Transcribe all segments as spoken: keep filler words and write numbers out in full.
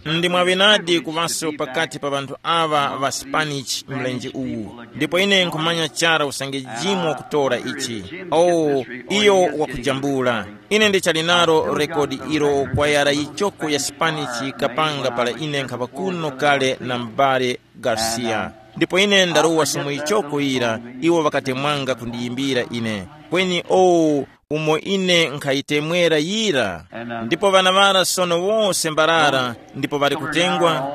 Ndi mwaŵenadi kuŵaso pakati pa ŵanthu aŵa ŵa Spanish mlenje uwu, ndipo ine nkhumanya chara usange Jim wakutora ichi. Oh, iyo wakujambula. Ine ndichali nalo rekodi ilo kwayara yichoko ya Spanish kapanga para ine nkhaŵa kuno kale na m'bale Garcia. Ndipo ine ndarowa sumo yichoko yira, iwo ŵakatemwanga kundiyimbira ine. Kweni oh, umo ine nkhayitemwera yira. Ndipo ŵana ŵara sono wose mbarara, ndipo ŵali kutengwa.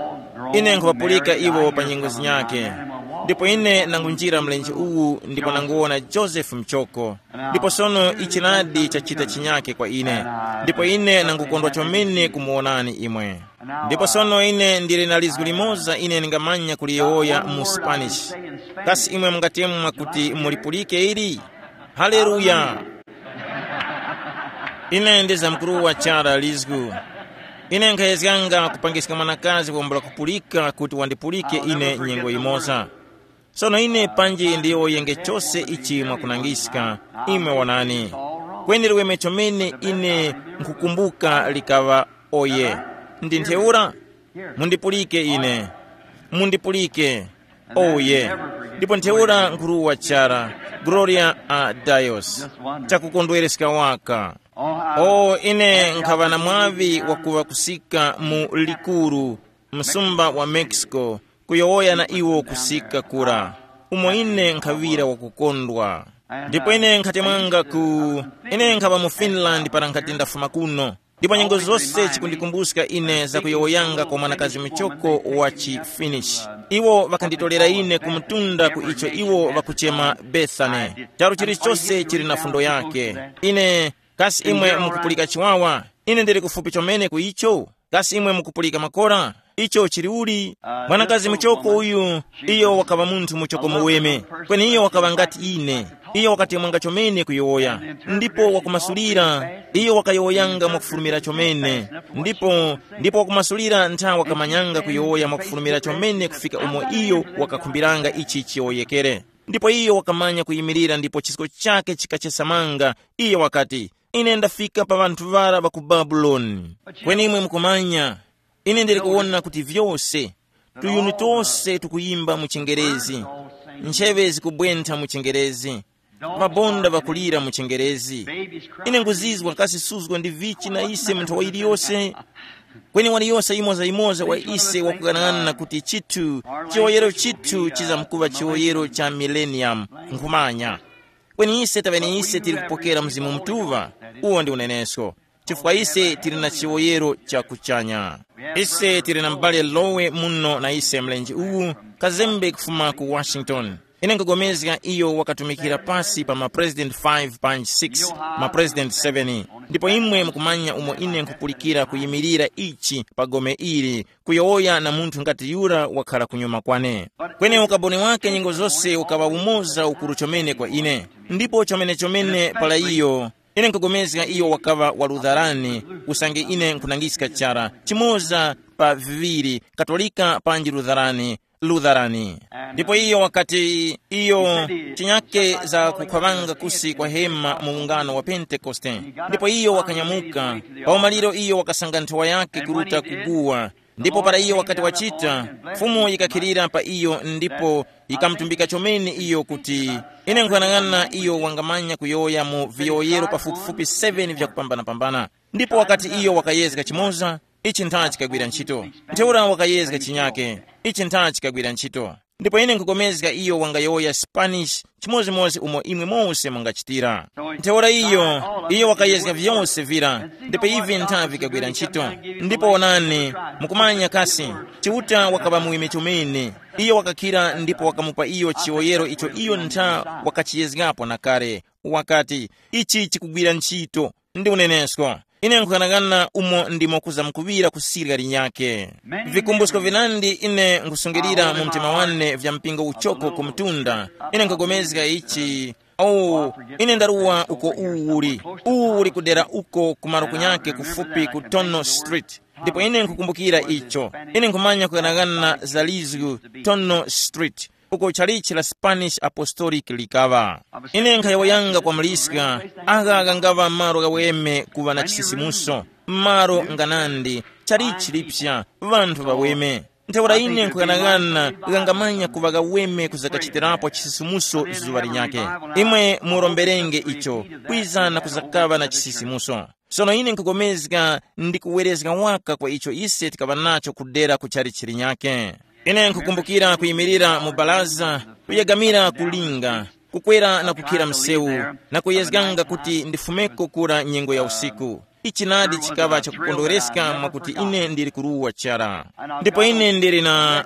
Ine nkhuŵapulika iwo pa nyengo zinyakhe. Ndipo ine nangunjira mlenje uwu ndipo nanguwona Josefu Mchoko. Ndipo sono ichinadi chachita chinyakhe kwa ine. Ndipo ine nangukondwa chomene kumuwonani imwe. Ndipo sono ine ndili na lizgu limoza ine ndingamanya kuliyowoya mu Spanish. Kasi imwe mungatemwa kuti mulipulike ili? Haleluya! Ine ndizamkuruwa chara lizgu. Ine nkhayezganga kupangiska mwanakazi wambula kupulika kuti wandipulike ine nyengo yimoza. Sono ine panji ndiyowoyenge chose ichi mwakunangiska, imwe wonani. Kweni liweme chomene ine nkhukumbuka likaŵa oye. Ndi ntheura? Mundipulike ine. Mundipulike. Oye. Ndipo ntheura nkhuruwa chara, Gloria a Dios. Chakukondwereska waka. O ine nkhaŵa na mwaŵi wakuŵa kusika mu likuru, msumba wa Mexico, kuyowoya na iwo kusika kura, umo ine nkhaŵira wakukondwa. Ndipo ine nkhatemwanga ku ine nkhaŵa mu Finland para nkhati ndafuma kuno. Ndipo nyengo zose chikundikumbuska ine za kuyowoyanga kwa mwanakazi muchoko wa chi Finnish. Iwo ŵakanditolera ine ku mtunda ku icho iwo ŵakuchema Bethany. Charu chilichose chili na fundo yake. Ine, kasi imwe mukupulika chiwawa? Ine ndili kufupi chomene ku icho. Kasi imwe mukupulika makora? Icho chili uli? Mwanakazi muchoko uyu, iyo wakaŵa munthu muchoko muweme, kweni iyo wakaŵa ngati ine. Iyo wakatemwanga chomene kuyowoya, ndipo wakumasulira, iyo wakayowoyanga mwakufulumira chomene, ndipo ndipo wakumasulira ntha wakamanyanga kuyowoya mwakufulumira chomene kufika umo iyo wakakhumbiranga ichi chiyowoyekere. Ndipo iyo wakamanya kuyimirira ndipo chisko chake chikachesamanga. Iyo wakati, ine ndafika pa ŵanthu ŵara ŵa ku Babuloni. Kweni imwe mukumanya, ine ndili kuwona kuti vyose, tuyuni tose tukuyimba mu chingerezi, ncheŵe zikubwentha mu chingerezi, mabonda ŵakulira mu chingerezi. Ine nguzizwa kasi suzgo ndi vichi na ise munthu wa iliyose. Kweni waliyose yimoza-yimoza wa ise wakughanag'ana kuti chithu, chiwoyero chithu chizamkuŵa chiwoyero cha millennium. Nkhumanya. Kweni ise taŵene ise tili kupokera Mzimu Mutuŵa, uwo ndi unenesko, chifukwa ise tili na chiwoyero cha kuchanya. Ise tili na m'bale Lowe muno na ise mlenje uwu, kazembe kufuma ku Washington. Ine nkugomezga iyo wakatumikira pasi pa ma president five panji six, ma president seven. Ndipo imwe mukumanya umo ine nkhupulikira kuyimirira ichi pa gome ili, kuyowoya na munthu ngati yura wakhala kunyuma kwane. Kweni ukaboni wake nyengo zose ukaŵa umoza ukuru chomene kwa ine. Ndipo chomene chomene para iyo, ine nkugomezga iyo wakaŵa wa Lutherani, usange ine nkhunangiska chara chimoza pa viŵiri, Katolika panji Lutherani, Lutherani. Ndipo iyo wakati iyo chinyake za kukhwaŵanga kusi kwa hema mu ungano wa Pentekoste. Ndipo iyo wakanyamuka, pa umaliro iyo wakasanga nthowa yake kuruta kuguwa. Ndipo para iyo wakati wachita, Fumu yikakhilira pa iyo ndipo yikamutumbika chomene iyo kuti, ine nkuyang'ana iyo wangamanya kuyowoya mu viyowoyero pafupifupi seven vyakupambanapambana. Ndipo wakati iyo wakayezga chimoza, ichi ntha chikagwira ntchito. Ntheura wakayezga chinyake, ichi ntha chikagwira ntchito. Ndipo ine nkukomezga iyo wangayowoya Spanish chimodzimodzi umo imwe mose mungachitira. Ntheura iyo, iyo wakayezga vyose vira, ndipo ivi ntha vikagwira ntchito. Ndipo onani, mukumanya kasi, Chiuta wakaŵa muweme chomene. Iyo wakakhira ndipo wakamupa iyo chiwoyero icho iyo ntha wakachiyezgapo na kale. Wakati, ichi chikugwira ntchito. Ndi unenesko. Ine nkuyang'ana umo ndimo kuzamkuŵira kusirya linyakhe. Vikumbusko vinandi ine nkhusungilira mu mtima wane vya mpingo uchoko ku mtunda. Ine nkhupulikana ichi. Oh, ine ndaruwa uko uwu uli. Uwu uli kudera uko kumaro kunyake kufupi ku Tono Street. Ndipo ine nkhukumbukira icho. Ine nkhumanya kuyang'ana za lizgu Tono Street, uko chalichi la Spanish Apostolic likaŵa. Ine nkhayowoyanga kwa muliska, agha ghangaŵa malo ghaweme kuŵa na chisisimuso, malo nganandi, chalichi lipsa, ŵanthu ŵaweme. Ntheura ine nkhughanaghana ghangamanya kuŵa ghaweme kuzakachitirapo chisisimuso zuŵa linyakhe. Imwe muromberenge icho, kwiza na kuzakaŵa na chisisimuso. Sono ine nkhupulikana ndi kuwerezga waka kwa icho ise tikaŵa nacho kudera ku chalichi linyakhe. Ine nkhukumbukira kuyimirira mu baraza, kuyegamira ku linga, kukwera na kukhira msewu, na kuyezganga kuti ndifumeko kura nyengo ya usiku. Ichi nadi chikaŵa chakukondwereska mwakuti ine ndili kuruwa chara. Ndipo ine ndili na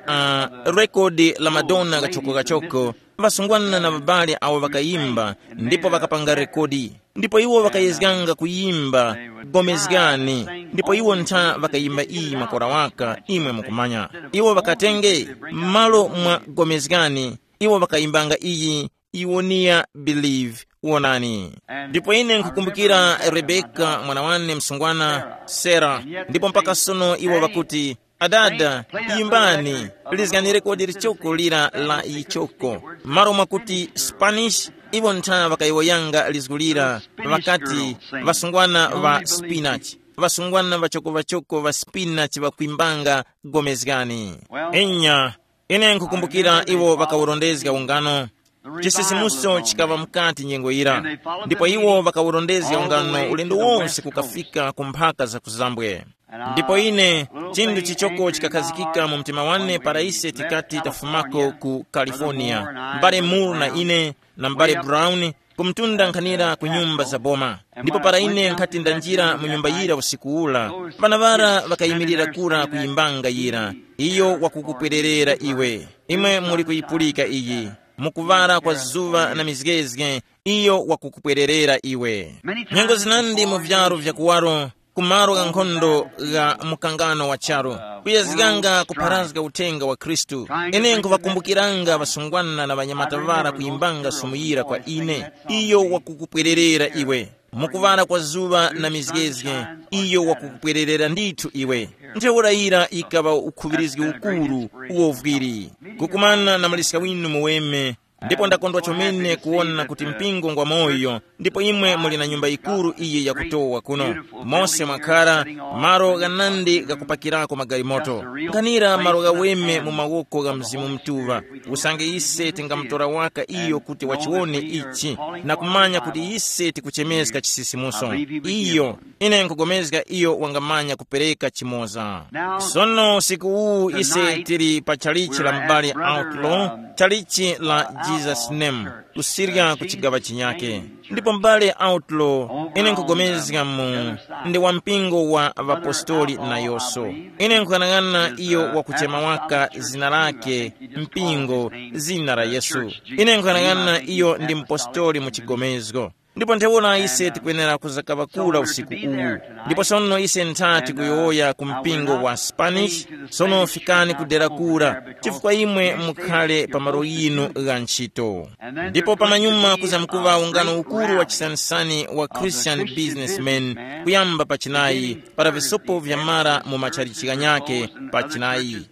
uh, rekodi la Madonna kachokokachoko, ŵasungwana na ŵabale awo ŵakayimba ndipo ŵakapanga rekodi. Ndipo iwo ŵakayezganga kuyimba gomezgani, ndipo iwo ntha ŵakayimba iyi makora waka, imwe mukumanya. Iwo ŵakatenge malo mwa gomezgani, iwo ŵakayimbanga iyi, iwoniya believe, wonani. Ndipo ine nkukumbukira Rebeka mwana wane msungwana, Sera, ndipo mpaka sono iwo ŵakuti, adada, yimbani, lizganire kodi lichoko lira la yichoko. Malo mwakuti Spanish, iwo ntha ŵakayowoyanga lizgu lira, ŵakati, ŵasungwana ŵa spinach, ŵasungwana ŵachoko-ŵachoko ŵa spinach ŵakwimbanga gomezgani. Inya, ine nkukumbukira iwo ŵakawurondezga ungano. Chisisimuso chikaŵa mukati nyengo yira, ndipo iwo ŵakawurondezga ungano ulendo wonse kukafika ku mphaka za kuzambwe. Ndipo ine, chinthu chichoko chikakhazikika mu mtima wane para ise tikati tafumako ku California, m'bale Moore na ine, na m'bale Brown, kumtunda nkhanira ku nyumba za boma. Ndipo para ine nkhati ndanjira mu nyumba yira usiku ula, ŵana ŵara ŵakayimirira kura kuyimbanga yira, iyo wakukupwererera iwe, imwe muli kuyipulika iyi, mukuŵala kwa zuŵa na mizgezge, iyo wakukupwererera iwe. Nyengo zinandi mu vyaro vya kuwaro, ku malo gha nkhondo gha mukangano wa charu, kuyazganga kupharazga uthenga wa Khristu. Ine nkhuŵakumbukiranga ŵasungwana na ŵanyamata ŵara kuyimbanga sumu yira kwa ine, iyo wakukupwererera iwe. Mukuŵala kwa zuŵa na mizgezge, iyo wakukupwererera ndithu iwe. Ntheura yira yikaŵa ukhuŵirizgi ukuru, uwovwiri. Kukumana na muliska winu muweme, ndipo ndakondwa chomene kuwona kuti mpingo ngwa moyo, ndipo imwe muli na nyumba yikuru iyi yakutowa kuno. Mose mwakhara, malo ghanandi ghakupakirako magalimoto. Nkhanira malo ghaweme mu mawoko gha Mzimu Mutuŵa. Usange ise tingamutora waka iyo kuti wachiwone ichi, na kumanya kuti ise tikuchemeska chisisimuso. Iyo, ine nkugomezga iyo wangamanya kupereka chimoza. Sono usiku uwu ise tili pa chalichi la m'bale Outlaw, chalichi la Jesus Name, kusirya ku chigaŵa chinyake. Ndipo m'bale Outlaw, ine nkugomezga mu ndi wa mpingo wa ŵapostoli nayonso. Ine nkuyang'ana iyo wakuchema waka zina lake, mpingo, zina la Yesu. Ine nkuyang'ana iyo ndi mpostoli mu chigomezgo. Ndipo ntheura ise tikwenera kuzakaŵa kura usiku uwu. Ndipo sono ise nthati kuyowoya ku mpingo wa Spanish, sono fikani kudera kura, chifukwa imwe mukhale pa malo yinu gha ntchito. Ndipo pamanyuma kuzamkuŵa ungano ukuru wa chisanisani wa Christian businessmen, kuyamba pa chinayi, para visopo vyamara mu matchalichi ghanyakhe pa chinayi.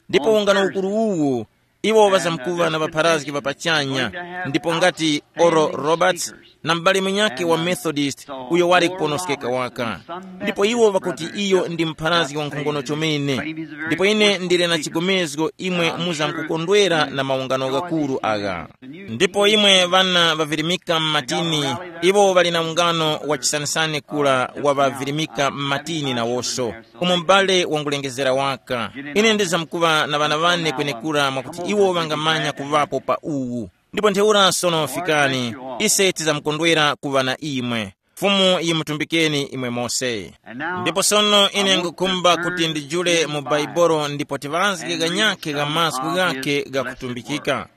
Ndipo ungano ukuru uwu, iwo ŵazamkuŵa na ŵapharazgi ŵa pachanya, ndipo ngati Oral Roberts, na m'bale munyakhe wa Methodist, uyo wali kuponoskeka waka. Ndipo iwo ŵakuti iyo ndi mpharazgi wankhongono chomene. Ndipo ine ndili na chigomezgo imwe muzamkukondwera na maungano ghakuru agha. Ndipo imwe ŵana ŵavirimika m'matini, iwo ŵali na ungano wa chisanisani kura wa ŵavirimika m'matini nawonso, umo m'bale wangulengezera waka. Ine ndizamkuŵa na ŵana ŵane kwenekura mwakuti iwo ŵangamanya kuŵapo pa uwu. Ndipo ntheura sono fikani, ise tizamkondwera kuŵa na imwe. Fumu yimutumbikeni imwe mose. Ndipo sono ine ngukhumba kuti ndijule mu Baibolo ndipo tiŵazge ganyakhe gha mazgu ghakhe ghakutumbikika.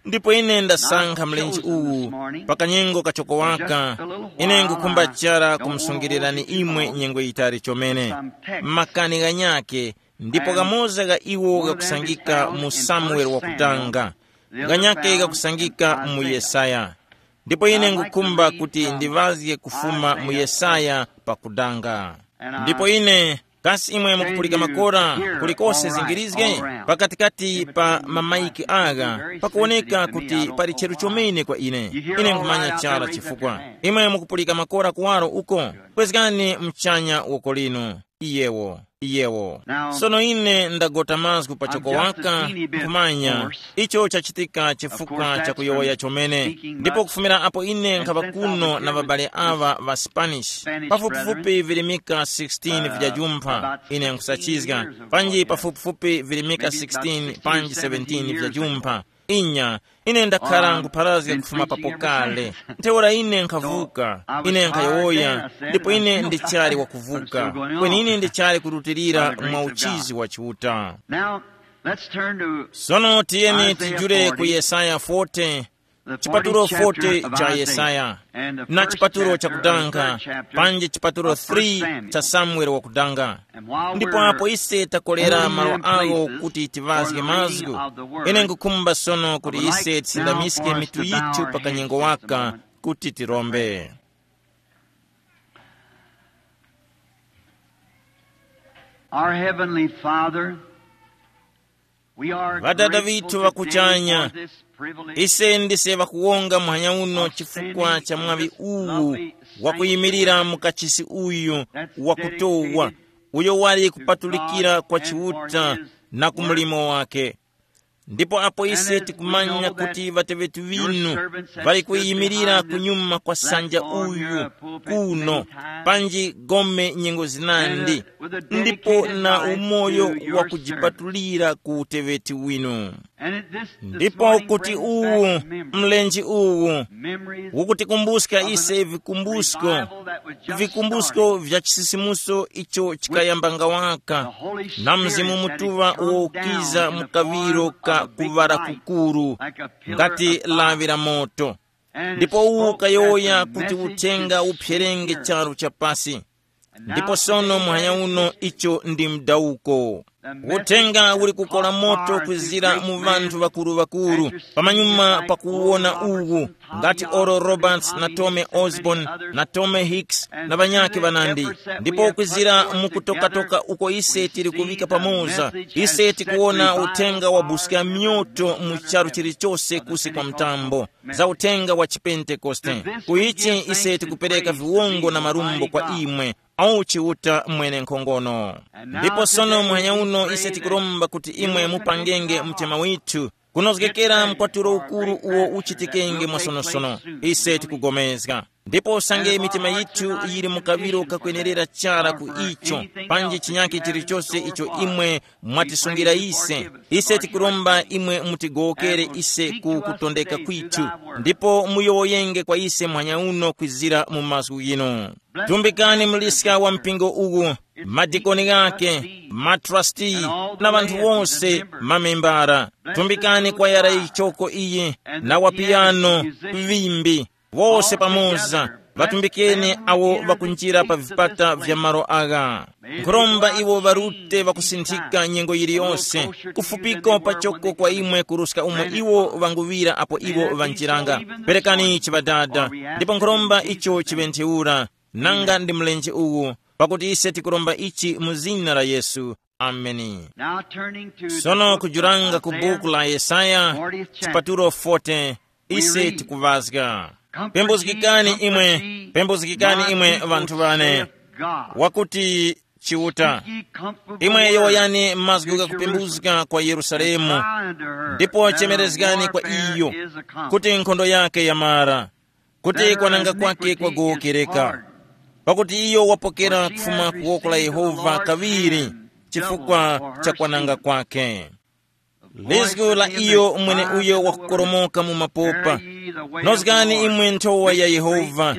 Ndipo ine ndasankha mlenje uwu pa kanyengo kachoko waka, ine ngukhumba chara kumusungilirani imwe nyengo yitali chomene. Makani ghanyakhe, ndipo ghamoza gha iwo ghakusangika mu Samuele wakutanga, ghanyakhe ghakusangika mu Yesaya. Ndipo ine ngukhumba kuti ndiŵazge kufuma mu Yesaya pakudanga. Ndipo ine, kasi imwe mukupulika makora kulikose zingirizge? Pakatikati pa mamaiki agha pakuwoneka kuti pali cheru chomene kwa ine. Ine nkhumanya chara chifukwa. Imwe mukupulika makora kuwaro uko? Kwezgani mchanya woko linu. Yewo, yewo. Sono ine ndagota mazgu pachoko waka, kumanya icho chachitika chifukwa cha kuyowoya chomene. Ndipo kufumira apo ine nkhapa kuno na ŵabale aŵa ŵa Spanish, pafupifupi virimika sixteen vya jumpha, ine nkhusachizga, panji pafupifupi virimika sixteen panji seventeen vya jumpha. Inya, ine ndakhala ngupharazga kufuma papo kale. Ntheura ine nkhavuka, ine nkhayowoya, ndipo ine ndichali wakuvuka. Kweni ine ndichali kurutilira mwa uchizi wa Chiuta. Now, let's turn to Sono tiyeni Isaiah tijule ku forty, Yesaya forty, the chipatulo forty cha Yesaya, and the na first chipatulo chapter, cha or the kudanga, third chapter panji chipatulo of First three Samuel. Cha Samueli wakudanga. And while Ndipo we're apo ise takolera malo awo kuti tivazge mazgu, ine nkukhumba sono kuti ise tisindamiske mitu yithu pa kanyengo waka kuti tirombe. Our Heavenly Father, we are Ŵadada grateful vithu today vakuchanya, for this privilege ise ndise vakuwonga muhanya uno of chifukwa standing cha in mwaŵi this uwu lovely wakuyimirira sanctuary mu kachisi uyu that's wakutowa, dedicated uyo wali to kupatulikira God kwa and for Chiuta his na ku mulimo wake. Ndipo apo ise tikumanya kuti ŵateŵeti ŵinu ŵali kuyimilira kunyuma kwa sanja uyu kuno, panji gome nyengo zinandi, ndipo na umoyo wa kujipatulira ku uteŵeti winu. Ndipo kuti uwu mlenje uwu ukutikumbuska ise vikumbusko, vikumbusko vya chisisimuso icho chikayambanga waka na Mzimu Mutuŵa uwo ukiza mu kaŵiro ka kuŵala kukuru, ngati lawi la moto. Ndipo uwu ukayowoya kuti uthenga uphyerenge charu cha pasi. Ndipo sono muhanya uno icho ndi mdawuko. Uthenga uli kukola moto kwizira mu ŵanthu ŵakuru-ŵakuru pamanyuma pakuwona uwu, ngati Oral Roberts na Tome Osborn na Tome Hicks na ŵanyakhe ŵanandi. Ndipo kwizira mu kutokatoka uko ise tili kuŵika pamoza, ise tikuwona uthenga wabuska myoto mu charu chilichose kusi kwa mtambo, za uthenga wa chipentekoste. Ku ichi ise tikupereka viwongo na marumbo kwa imwe, au Chiuta mwene nkhongono. Ndipo sono muhanya uno ise tikuromba kuti imwe mupangenge mtima withu kunozgekera mkwatulo ukuru uwo uchitikenge mwasonosono. Ise tikugomezga ndipo usange mitima yithu yili mu kaŵiro kakwenerera chara ku icho, panji chinyakhe chilichose icho imwe mwatisungira ise, ise tikuromba imwe mutigowokere ise ku kutondeka kwithu, ndipo muyowoyenge kwa ise muhanya uno kwizira mu mazgu ghinu. Tumbikani muliska wa mpingo uwu, madikoni ghake, matrasti, na ŵanthu wose, mamembara. Tumbikani kwayara yichoko iyi, na wapiyano, vimbi, wose pamoza. Ŵatumbikeni awo ŵakunjira pa vipata vya malo agha. Nkhuromba iwo ŵarute ŵakusinthika nyengo yiliyose, kufupiko pachoko kwa imwe kuruska umo iwo ŵanguŵira apo iwo ŵanjiranga. Perekani ichi Ŵadada, ndipo nkhuromba icho chiŵe ntheura, nanga ndi mlenje uwu, pakuti ise tikuromba ichi mu zina la Yesu. Ameni. Now turning to the Sono book kujuranga of ku Isaiah, buku la Yesaya, fortieth chapter. Chipatulo forty, ise tikuvazga. Pembuzgikani imwe, pembuzgikani imwe ŵanthu wane, wakuti Chiuta. Imwe yowoyani mazgu ghakupembuzga kwa Yerusalemu, ndipo chemerezgani kwa iyo kuti nkhondo yake yamara, kuti kwananga kwake kwagowokereka. Pakuti iyo wapokera kufuma ku woko la Yehova kaŵiri chifukwa cha kwananga kwake. Lizgu la iyo mwene uyo wakukoromoka mu mapopa. Nozgani imwe nthowa ya Yehova,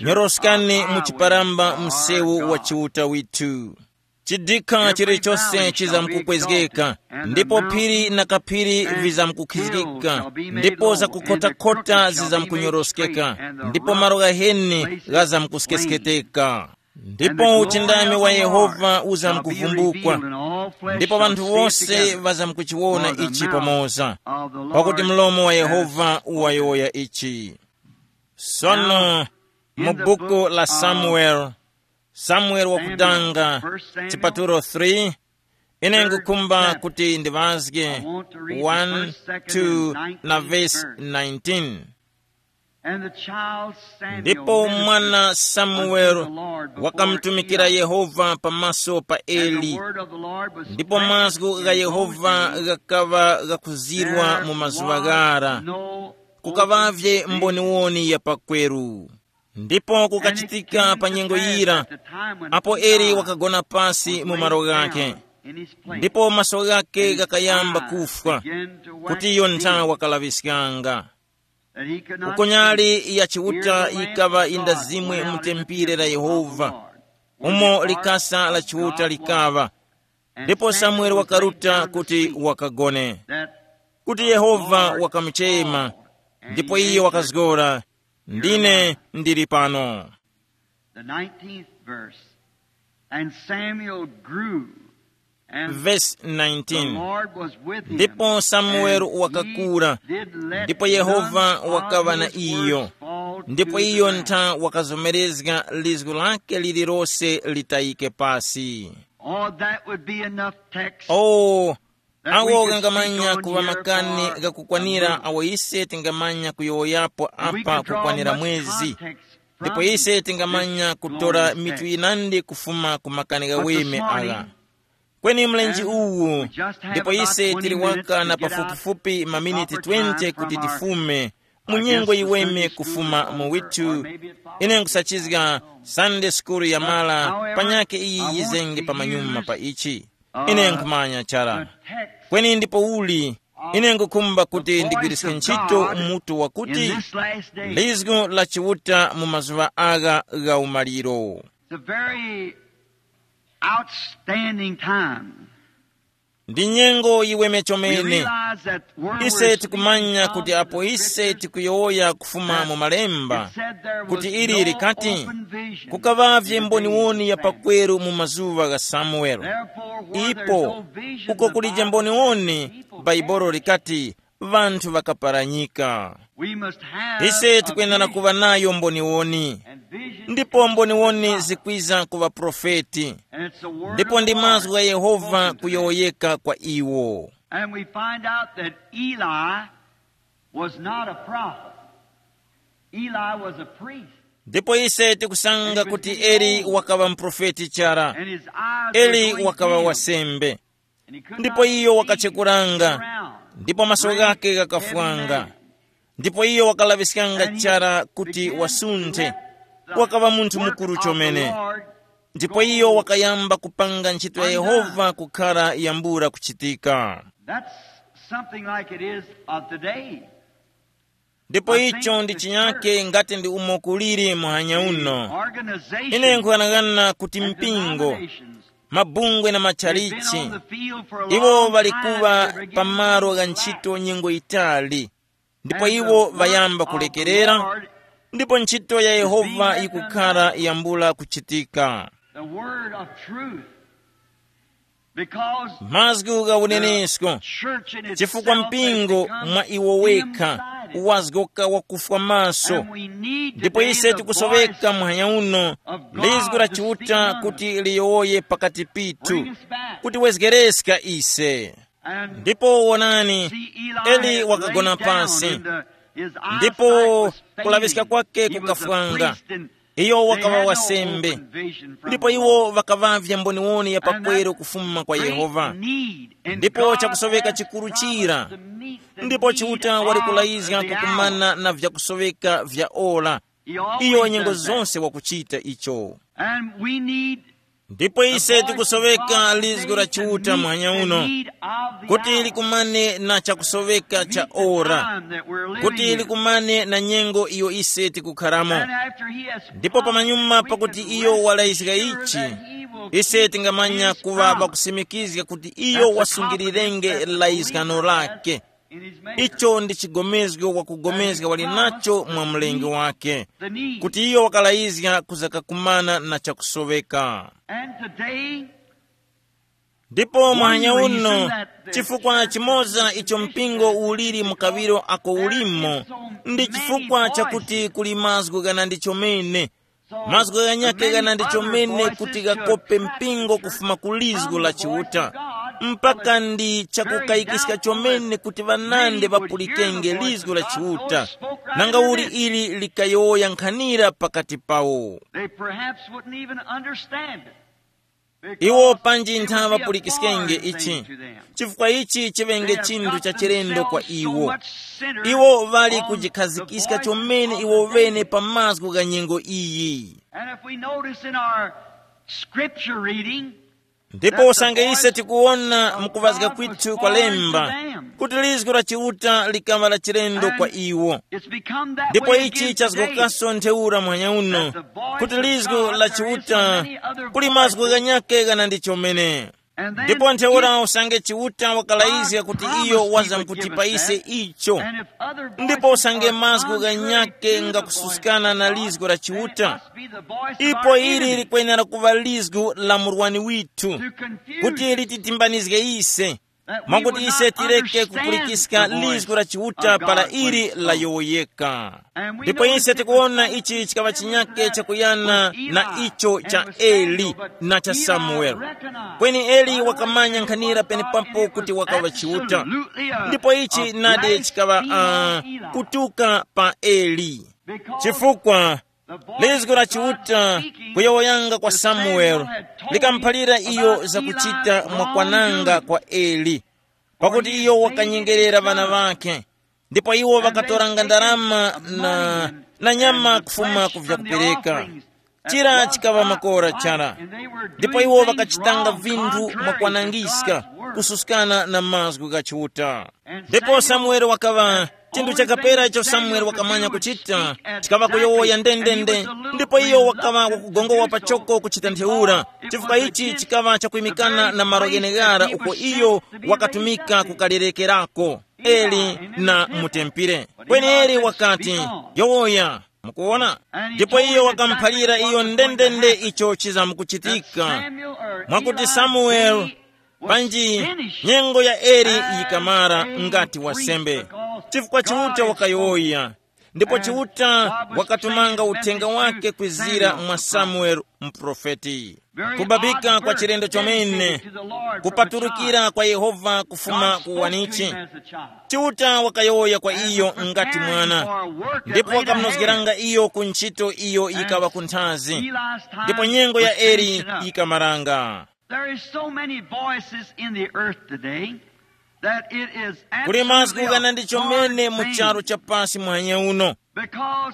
nyoroskani mu chiparamba msewu wa Chiuta withu. Chidikha chilichose chizamkukwezgeka, ndipo phiri na kaphiri vizamkukhizgika, ndipo zakukhotakhota zizamkunyoroskeka, ndipo malo ghaheni ghazamkuskesketeka. Ndipo uchindami wa Yehova uzamkuvumbukwa, ndipo ŵanthu wose ŵazamkuchiwona ichi pamoza, pakuti mlomo wa Yehova wayowoya ichi. Sono mu buku la Samuel, Samuel wakudanga, chipatulo three, ine ngukhumba kuti ndiŵazge one, two na verse nineteen. And the child Samuel ndipo ministered mwana unto the Lord before Eli. Wakamtumikira Yehova pamaso pa And the Eli. Word of the Lord was ndipo mazgu gha Yehova ghakaŵa ghakuzirwa mu mazuŵa ghara. Kukavavye mboniwoni ya pakweru. Ndipo kukachitika pa nyengo yira, apo Eli wakagona pasi mu malo ghakhe, ndipo maso ghakhe ghakayamba kufwa, kuti iyo nthawi wakalaŵiskanga. Kuko nyali ya Chiuta yikaŵa yindazimwe mu tempire la Yehova, umo likasa la Chiuta likaŵa. Ndipo Samueli wakaruta kuti wakagone, kuti Yehova wakamuchema, ndipo iyo wakazgora, "Ndine ndili pano." The nineteenth verse. And Samuel grew, and Verse the nineteen. Lord was with him, ndipo Samueli and wakakura, he did let ndipo Yehova none of wakaŵa na his iyo, words fall ndipo to iyo the ground. Ntha wakazomerezga lizgu lake lililose litayike pasi. Oh, that would be enough text. Oh, that we awo could ghangamanya speak on kuŵa here makani for ghakukwanira a week. Awo ise tingamanya kuyowoyapo apa kukwanira mwezi. Ndipo ise tingamanya kutora mitu yinandi kufuma ku makani ghaweme agha. Kweni mlenje uwu, ndipo ise tili waka na pafupifupi maminiti twenty kuti tifume mu nyengo yiweme kufuma mu withu. Ine nkusachizga Sunday school yamala panyake iyi yizenge pamanyuma pa ichi. Ine nkhumanya chara. Kweni ndipo uli, ine ngukhumba kuti ndigwiriske ntchito mutu wakuti lizgu la Chiuta mu mazuŵa agha gha umaliro. It's a very outstanding time. Ndi nyengo yiweme chomene. Ise tikumanya kuti apo ise tikuyowoya kufuma mu malemba, kuti ili likati, kukaŵavye mboniwoni ya pakweru mu mazuŵa gha Samuele. Ipo uko kulije mboniwoni, Baibolo likati, ŵanthu ŵakaparanyika. Ise tikwenera kuŵa nayo mboniwoni. Ndipo mboniwoni zikwiza ku ŵaprofeti. Ndipo ndi mazgu gha Yehova kuyowoyeka kwa iwo. And we find out that Eli was not a prophet. Eli was a priest. Ndipo ise tikusanga kuti Eli wakaŵa muprofeti chara. And his eyes were eli going wakaŵa dim. Wasembe. Ndipo iyo wakachekuranga, ndipo maso ghake ghakafwanga. Ndipo iyo wakalaŵiskanga chara kuti wasunthe, wakaŵa munthu mukuru chomene. Ndipo iyo wakayamba kupanga ntchito ya Yehova kukhara yambula kuchitika. That's something like it is of today. Ndipo icho ndi chinyake ngati ndi umo kuliri muhanya uno. Ine nkuyang'ana kuti mpingo, mabungwe na machalichi, iwo ŵali kuŵa pa malo gha ntchito nyengo yitali, ndipo iwo ŵayamba kulekerera, ndipo ntchito ya Yehova yikukhara yambula kuchitika. The word of truth. Mazgu gha unenesko, chifukwa mpingo mwa iwo wekha wazgoka wakufwa maso. Ndipo ise tikusoweka muhanya uno lizgu la Chiuta kuti liyowoye pakati pithu, kuti wezgereska ise. Ndipo wonani, Eli wakagona pasi, ndipo kulaŵiska kwake kukafwanga. Iyo wakaŵa wasembe, ndipo iwo ŵakaŵavya mboniwoni ya pakweru kufuma kwa Yehova. Ndipo chakusoweka chikuru chira, ndipo Chiuta wali kulayizga kukumana na vyakusoweka vya ora. Iyo nyengo zonse wakuchita icho. Ndipo ise tikusoweka lizgu la Chiuta muhanya uno, kuti likumane na chakusoweka cha ora, kuti likumane na nyengo iyo ise tikukharamo. Ndipo pamanyuma pakuti iyo walayizga ichi, ise tingamanya kuŵa pakusimikizga kuti iyo wasungirirenge layizgano lake. Icho ndi chigomezgo wakugomezga wali nacho mwa mlengi wake, kuti iyo wakalayizga kuzakakumana na chakusoweka. And today, ndipo mwanya uno, chifukwa chimoza icho mpingo uliri mu kawiro ako ulimo, ndi chifukwa chakuti kuli mazgu ghanandi chomene. Mazgu ghanyakhe ghanandi chomene kuti ghakope mpingo kufuma ku lizgu la Chiuta. mpaka ndi chakukayikiska chomene kuti ŵanandi ŵapulikenge lizgu la Chiuta, nanga uli ili likayowoya nkhanira pakati pawo. They perhaps wouldn't even understand it. Iwo panji nthaŵa ŵapulikiskenge ichi, chifukwa ichi chiŵenge chinthu cha chilendo kwa iwo. Iwo ŵali kujikhazikiska chomene iwo ŵene pa mazgu gha nyengo iyi. And if we notice in our scripture reading, ndipo usange ise tikuwona mukuŵazga kwithu kwa lemba kuti lizgu la Chiuta likaŵa la chilendo kwa iwo. It's become that ndipo way ichi again today, chazgokaso ntheura muhanya uno, that the voice kuti of lizgu God, la there is Chiuta so many other kuli mazgu voices. Ghanyake ghana ndi chomene. And then ndipo ntheura if usange Chiuta wakalayizga kuti God iyo promised he would give us wazamkutipa ise that, icho. And if other ndipo voices usange are mazgu contrary ghanyake to the voice ngakususkana of na God, lizgu la then it Chiuta, must be the voice of ipo our ili enemy likwenera kuŵa lizgu la murwani withu to confuse kuti lititimbanizge ise, mwakuti ise tireke kupulikiska lizgu la Chiuta para ili layowoyeka. Ndipo ise tikuwona ichi chikaŵa chinyake chakuyana na icho cha Eli na cha Samueli. Kweni Eli wakamanya nkhanira penepapo kuti wakaŵa Chiuta. Ndipo ichi nadi chikaŵa uh, kutuka pa Eli, chifukwa lizgu la Chiuta kuyowoyanga kwa Samueli likamuphalira iyo zakuchita mwakwananga kwa Eli, pakuti iyo wakanyengerera ŵana ŵakhe, ndipo iwo ŵakatoranga ndarama na, na nyama kufuma ku vyakupereka. Chira chikaŵa makora chara, ndipo iwo ŵakachitanga vinthu mwakwanangiska kususkana na mazgu gha Chiuta. Ndipo Samueli wakaŵa chinthu chakapera icho Samueli wakamanya kuchita, chikaŵa kuyowoya ndendende, ndipo iyo wakaŵa wakugongowa pachoko kuchita ntheura, chifukwa ichi chikaŵa chakwimikana na malo gheneghara uko iyo wakatumika kukalerekerako Eli na mutempire. Kweni Eli wakati, yowoya, mukuwona? Ndipo iyo wakamuphalira iyo ndendende icho chizamkuchitika, mwakuti Samueli panji nyengo ya Eli yikamara ngati wasembe, chifukwa Chiuta wakayowoya, ndipo Chiuta wakatumanga uthenga wake kwizira mwa Samueli muprofeti. Kubabika kwa chilendo chomene kupaturukira kwa Yehova kufuma ku wanichi. Chiuta wakayowoya kwa iyo ngati mwana, ndipo wakamunozgeranga iyo ku ntchito iyo yikaŵa kunthazi, ndipo nyengo ya Eli yikamaranga. There is so many voices in the earth today that it is kuli mazgu ghana ndi chomene mu charu cha pasi muhanya uno,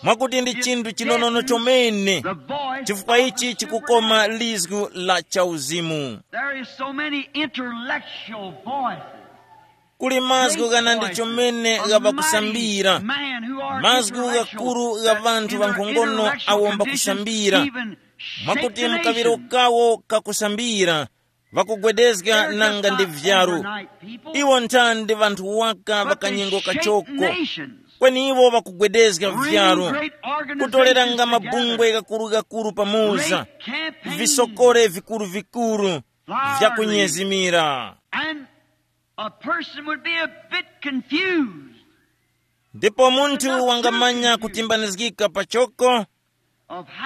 mwakuti ndi chinthu chinonono chomene, chifukwa ichi chikukoma lizgu la chauzimu. There is so many intellectual voices. Kuli mazgu ghana ndi chomene ghaŵakusambira, mazgu ghakuru gha ŵanthu ŵankhongono awo mbakusambira, mwakuti mkaŵiro kawo kakusambira, ŵakugwedezga nanga ndi vyaru. Iwo nthandi ŵanthu waka ŵakanyengo kachoko, kweni iwo ŵakugwedezga vyaru, kutoreranga mabungwe ghakuru-ghakuru pamoza, visokore vikuru-vikuru vyakunyezimira. And a person would be a bit confused. Ndipo munthu wangamanya kutimbanizgika pachoko.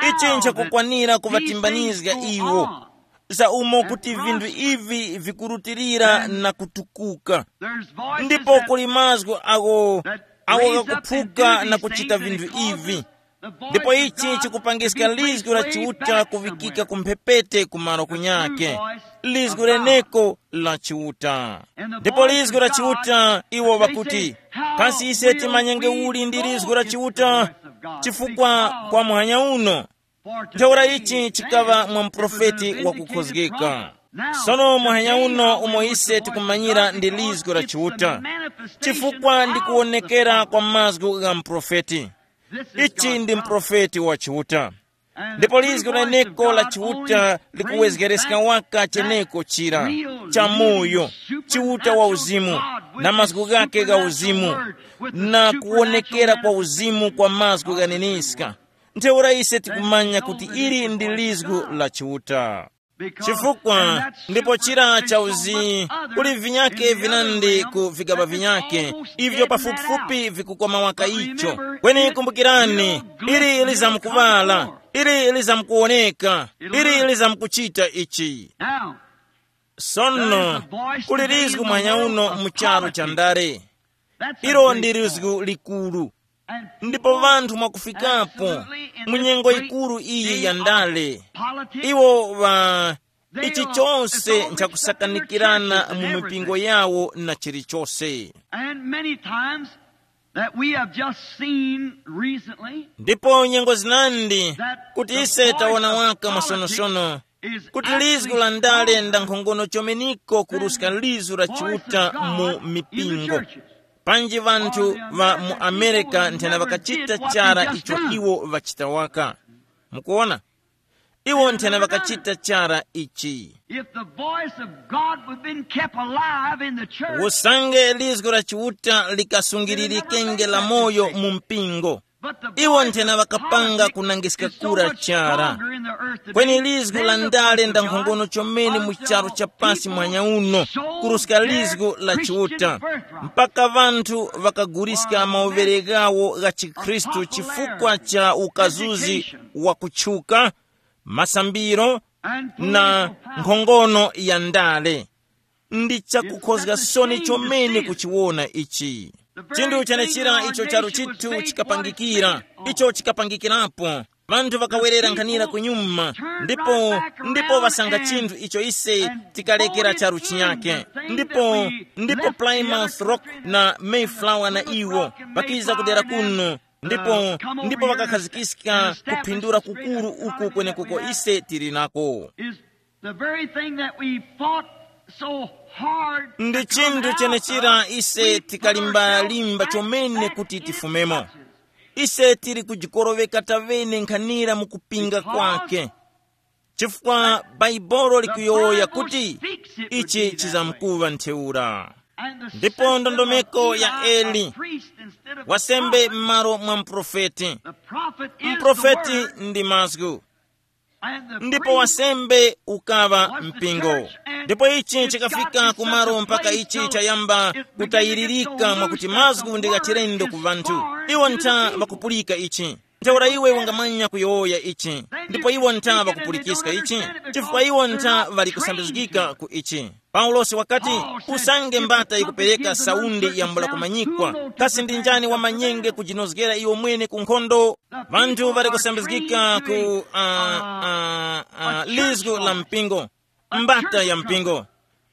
Ichi nchakukwanira kuŵatimbanizga iwo za umo kuti vinthu ivi vikurutilira na kutukuka. Ndipo kuli mazgu awo awo ghakuphuka na kuchita vinthu ivi, ndipo ichi chikupangiska lizgu la Chiuta kuŵikika ku mphepete ku malo kunyake, lizgu leneko la Chiuta. Ndipo lizgu la Chiuta iwo ŵakuti, kasi ise timanyenge uli ndi lizgu la Chiuta? Chifukwa kwa muhanya uno ntheura ichi chikaŵa mwa muprofeti wakukhozgeka. Sono muhanya uno umo ise tikumanyira ndi lizgu la Chiuta, chifukwa ndi kuwonekera kwa mazgu gha muprofeti. Ichi ndi muprofeti wa Chiuta. Ndipo lizgu leneko la Chiuta likuwezgereska waka cheneko chira, chamoyo, Chiuta wa uzimu, na mazgu ghake gha uzimu, na kuwonekera kwa uzimu kwa mazgu ghaneniska. Ntheura ise tikumanya kuti ili ndi lizgu la Chiuta. Chifukwa ndipo chira chauzi kuli vinyake vinandi ku vigaba vinyake, ivyo pafupifupi vikukoma waka icho. Kweni kumbukirani, ili lizamkuŵala, ili lizamkuwoneka, ili lizamkuchita ichi. Now, Sono, kuli lizgu mwanya uno mu charu cha ndale. Ilo ndi lizgu likulu. Ndipo vanthu mwakufikapo mu nyengo yikuru iyi ya ndale, iwo va ichi chose nchakusakanikirana mu mipingo yawo na chilichose. And many times that we have just seen recently, ndipo nyengo zinandi kuti ise taona waka masonosono kuti lizgu la ndale nda nkhongono chomeniko kuruska lizu la chiuta mu mipingo. Panji vanthu va mu Amerika nthena vakachita chara icho iwo vachita waka. Mukuona, iwo nthena vakachita chara ichi. If the voice of God would been kept alive in the church, usange lizgu la chiuta likasungilirikenge la moyo mu mpingo, iwo nthena vakapanga kunangiska kura chara. Kweni lizgu la ndale nda nkhongono chomene mu charu cha pasi mwanya uno kuruska lizgu la chiuta, mpaka vanthu vakaguliska mauvere ghawo gha chikhristu chifukwa cha ukazuzi wa kutchuka, masambiro na nkhongono ya ndale. Ndi chakukhozga soni chomene kuchiwona ichi. Chinthu chenechira icho charu chithu chikapangikira, icho chikapangikirapo, vanthu vakawerera nkhanira kunyuma, ndipo ndipo vasanga chinthu icho ise tikalekera charu chinyake. Ndipo ndipo Plymouth Rock na Mayflower na iwo vakiza kudera kuno, ndipo ndipo vakakhazikiska kuphindura kukuru uku kwenekuko ise tili nako. Is the very thing that we fought so hard ndi to come chinthu out chenechira of, ise we tikalimbalimba plunged chomene back kuti in tifumemo. Ise tili kujikoroveka tavene nkhanira mu kupinga kwake, chifukwa Baibolo likuyowoya kuti ichi chizamkuŵa ntheura. Ndipo ndondomeko ya Eli, wasembe m'malo mwa mprofeti. Mprofeti ndi mazgu, ndipo wasembe ukaŵa mpingo. Ndipo ichi chikafika kumalo mpaka ichi chayamba kutayiririka mwakuti mazgu ndi ghachilendo ku vanthu. Iwo ntha ŵakupulika ichi. Ntheura iwe ungamanya kuyowoya ichi, ndipo iwo ntha ŵakupulikiska ichi, chifukwa iwo ntha ŵali kusambizgika ku ichi. Paulosi wakati, usange mbata ikupereka saundi yambula kumanyikwa, kasi ndi njani wamanyenge kujinozgera iwo mwene ku nkhondo? Vanthu ŵali kusambizgika ku uh, uh, uh, lizgu la mpingo, mbata ya mpingo.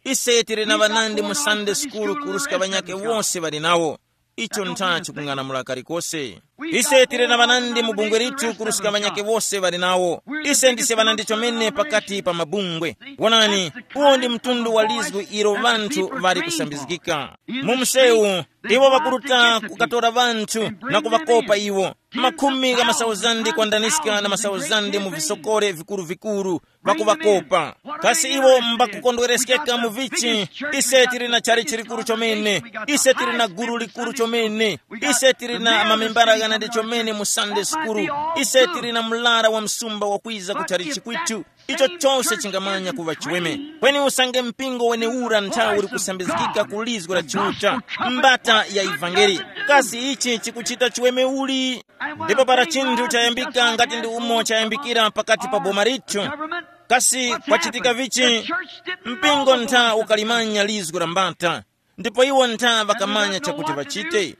Ise tili na ŵanandi mu Sunday school kuruska ŵanyake wose ŵali nawo. Icho ntha chikung'anamula kalikose. Ise tili na ŵanandi mu bungwe lithu kuruska ŵanyake wose ŵali nawo. Ise ndise ŵanandi chomene pakati pa mabungwe. Wonani, uwo ndi mtundu wa lizgu ilo ŵanthu ŵali kusambizgika mu msewu. Iwo ŵakuruta kukatora ŵanthu na kuŵakopa iwo, makhumi gha masauzandi kwandaniska na masauzandi mu visokore vikuru-vikuru, ŵakuŵakopa. Kasi iwo mbakukondwereskeka mu vichi? Ise tili na chalichi likuru chomene, ise tili na gulu likuru chomene, ise tili na mamembara ghanandi chomene mu Sunday school, ise tili na mlara wa msumba wakwiza ku chalichi kwitu. Icho chose chingamanya kuŵa chiweme. Kweni usange mpingo wenewura nthawi uli kusambizgika ku lizgu la Chiuta, mbata ya ivangeli, kasi ichi chikuchita chiweme uli? Ndipo para chinthu chayambika ngati ndi umo chayambikira pakati pa boma lithu, kasi kwachitika vichi? Mpingo ntha ukalimanya lizgu la mbata, ndipo iwo ntha ŵakamanya chakuti ŵachite.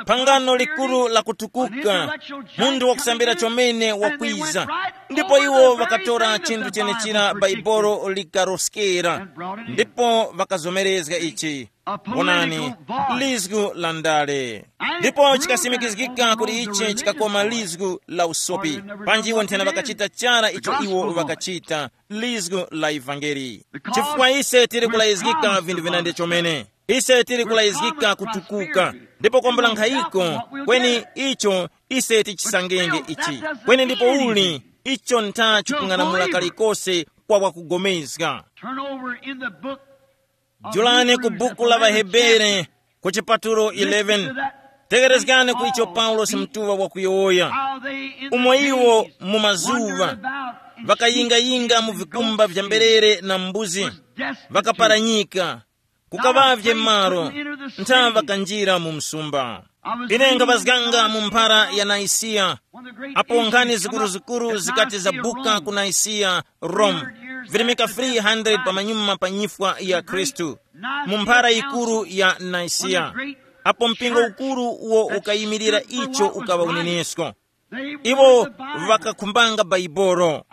Phangano likuru la kutukuka, munthu wakusambira chomene wakwiza, ndipo iwo ŵakatora chinthu chenechira Baibolo likaroskera, ndipo ŵakazomerezga ichi. Onani, lizgu la ndale. Ndipo chikasimikizgika kuti ichi chikakoma lizgu la usopi. Panji iwo nthena ŵakachita chara icho iwo ŵakachita, lizgu la ivangeli. Chifukwa ise tili kulayizgika vinthu vinandi chomene. Ise tili kulayizgika kutukuka, ndipo kwambula nkhayiko, kweni icho ise tichisangenge ichi. Kweni ndipo uli icho ntha chikung'anamula kalikose kwa wakugomezga. Turn over in the book of Julani ku Hebrews, buku la Vahebere, ku chipatulo eleven. Tegerezgani ku icho Paulosi mtuŵa wakuyowoya. Umo iwo mu mazuŵa ŵakayingayinga mu vikumba vya mberere na mbuzi, ŵakaparanyika, kukaŵavye malo, ntha ŵakanjira mu msumba. Ine nkhaŵazganga mu mphara ya Naisiya, apo nkhani zikuruzikuru zikati zabuka ku Naisiya, Rome. Virimika three hundred pamanyuma pa nyifwa ya Khristu, mu mphara yikuru ya Nicaea, apo mpingo ukuru uwo ukayimirira icho ukaŵa unenesko. Iwo ŵakakhumbanga Baibolo,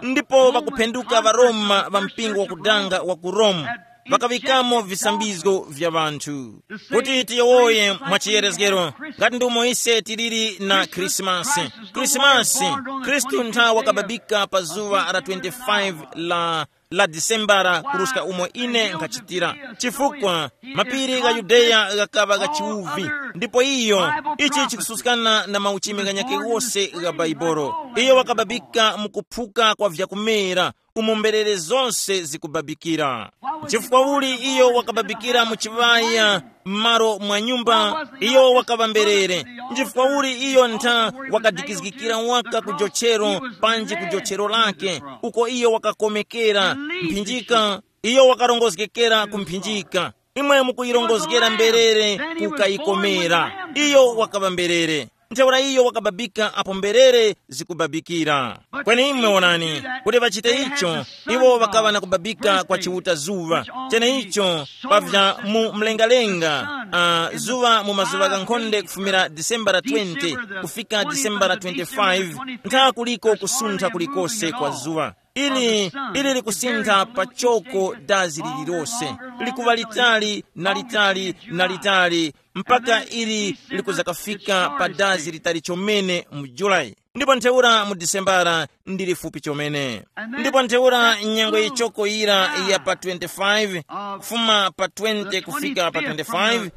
ndipo ŵakuphenduka ŵaRoma ŵa mpingo wakudanga wa ku Rome, ŵakaŵikamo visambizgo vya ŵanthu. Kuti tiyowoye mwa chiyerezgero, ngati ndi umo ise tiliri na Khrisimasi. Khrisimasi, Khristu ntha wakababika pa zuŵa la twenty-five la la Disembara kuruska umo ine nkhachitira, chifukwa mapiri gha Yudeya ghakaŵa gha chiwuvi, ndipo iyo, ichi chikususkana na mauchimi ghanyakhe ghose gha Baibolo. Iyo wakababika mu kuphuka kwa vyakumera, umo mberere zose zikubabikira. Chifukwa uli iyo wakababikira mu chiŵaya, m'malo mwa nyumba, iyo wakaŵa mberere. Nchifukwa uli iyo ntha wakadikizgikira waka ku jochero, panji ku jochero lake, uko iyo wakakomekera mphinjika, iyo wakarongozgekera ku mphinjika. Imwe mukuyirongozgera mberere, kukayikomera. Iyo wakaŵa mberere. Ntheura iyo wakababika apo mberere zikubabikira. Kweni imwe wonani, kuti ŵachite icho, iwo ŵakaŵa na kubabika kwa chiuta zuŵa. Cheneicho, pavya mu mlengalenga, uh, zuŵa mu mazuŵa ghankhonde kufumira Disembara twenty kufika Disembara twenty-five, ntha kuliko kusuntha kulikose kwa zuŵa. Ili ili likusintha pachoko dazi lililose, likuŵa litali na litali na litali, mpaka ili likuzakafika pa dazi litali chomene mu Julayi, ndipo ntheura mu Disembara ndi lifupi chomene. Ndipo ntheura nyengo yichoko yira ya pa twenty-five, kufuma pa twenty kufika pa twenty-five,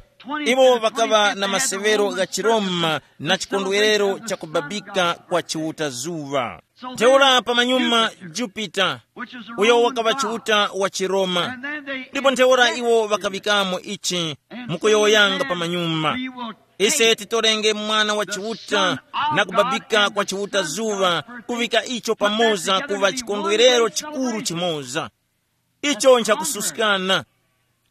iwo ŵakaŵa na masewero gha chiroma na chikondwerero cha kubabika kwa chiuta zuŵa. Ntheura pamanyuma, Jupiter, uyo wakaŵa chiuta wa chiroma. Ndipo ntheura iwo ŵakaŵikamo ichi, mukuyowoyanga pamanyuma, ise titorenge mwana wa chiuta na kubabika kwa chiuta zuŵa, kuŵika icho pamoza kuŵa chikondwerero chikuru chimoza. Icho nchakususkana.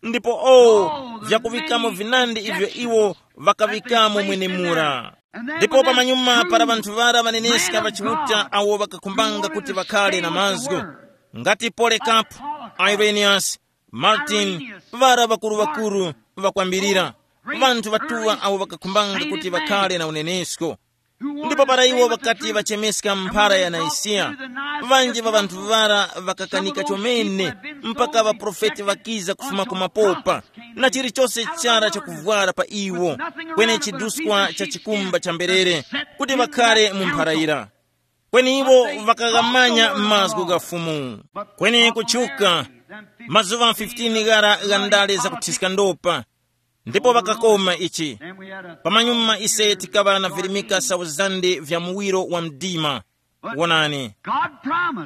Ndipo o, vyakuŵikamo vinandi ivyo iwo ŵakaŵikamo mwenemura. Ndipo pamanyuma para ŵanthu ŵara ŵaneneska ŵa Chiuta awo ŵakakhumbanga kuti ŵakhale na mazgu, ngati Polekapu, Ireniyasi, Martin, ŵara ŵakuru-ŵakuru ŵakwambirira, ŵanthu ŵatuŵa awo ŵakakhumbanga kuti ŵakhale na unenesko. Ndipo para iwo ŵakati ŵachemeska mphara ya Naisiya, ŵanji ŵa ŵanthu ŵara ŵakakanika chomene, mpaka ŵaprofeti ŵakiza kufuma ku mapopa, na chilichose chara chakuvwara pa iwo, kweni chiduskwa cha chikumba cha mberere, kuti ŵakhare mu mphara yira. Kweni iwo ŵakaghamanya mazgu gha Fumu. Kweni kutchuka, mazuŵa fifteen ghara gha ndale zakuthiska ndopa, ndipo ŵakakoma ichi. Pamanyuma ise tikaŵa na virimika sauzande vya muwiro wa mdima. Wonani,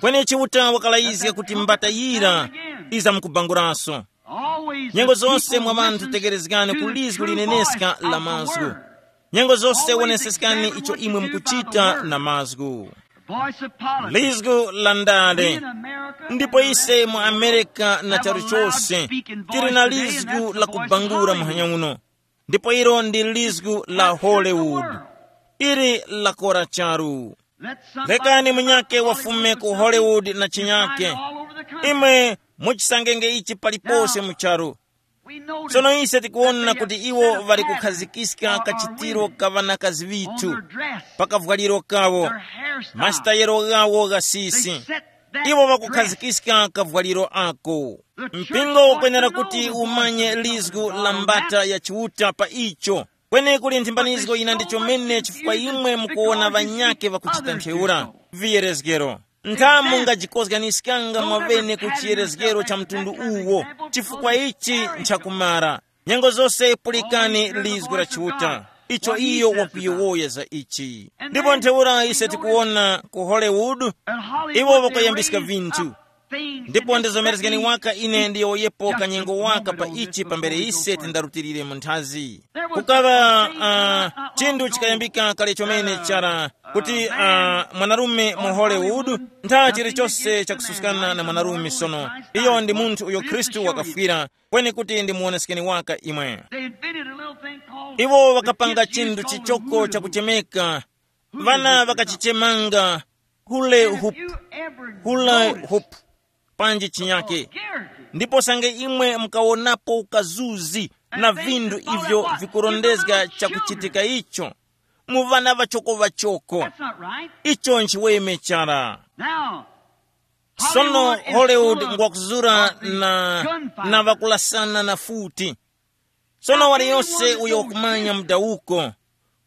kweni Chiuta wakalayizga kuti mbata yira izamkubanguranso. Nyengo zonse mwa ŵanthu tekerezgani ku lizgu lineneska la mazgu. Nyengo zonse woneseskani icho imwe mukuchita na mazgu. Lizgu la ndale. Ndipo ise mu Amerika na charu chose tili na lizgu la kubangula muhanya uno. Ndipo ilo ndi lizgu la Hollywood. Ili lakora charu. Lekani munyake wafume ku Hollywood na chinyake. Imwe muchisangenge ichi palipose mu charu. Sono ise tikuwona kuti iwo ŵali kukhazikiska kachitiro ka ŵanakazi ŵithu, pa kavwaliro kawo, masitayero ghawo gha sisi. Iwo ŵakukhazikiska kavwaliro ako. Mpingo ukwenera kuti umanye lizgu la mbata ya Chiuta pa icho. Kweni kuli nthimbanizgo yina ndi chomene chifukwa imwe mukuwona ŵanyake ŵakuchita ntheura. Viyerezgero. Ntha mungajikozganiskanga mwavene ku chiyerezgero cha mtundu uwo, chifukwa ichi nchakumara. Nyengo zose pulikani lizgu la Chiuta, icho iyo wakuyowoya za ichi. Ndipo ntheura ise tikuwona ku Hollywood, iwo ŵakuyambiska vinthu. Ndipo ndizomerezgeni waka ine ndiyowoyepo kanyengo waka pa ichi pambere ise tindarutilire mu nthazi. Kukaŵa uh, chinthu chikayambika kale chomene chara, kuti uh, mwanarume mu Hollywood, ntha chilichose chakususkana na mwanarume sono. Iyo ndi munthu uyo Khristu wakafwira, kweni kuti ndimuwoneskeni waka imwe. Iwo ŵakapanga chinthu chichoko chakuchemeka, ŵana ŵakachichemanga hule hup, hule hup. panji chinyake. Ndipo sange imwe mukawonapo ukazuzi na vinthu ivyo vikurondezga chakuchitika icho mu vana vachoko-vachoko, icho nchiweme chara. Sono Hollywood ngwakuzura na, na vakulasana na futi. Sono waliyose uyo wakumanya mudawuko,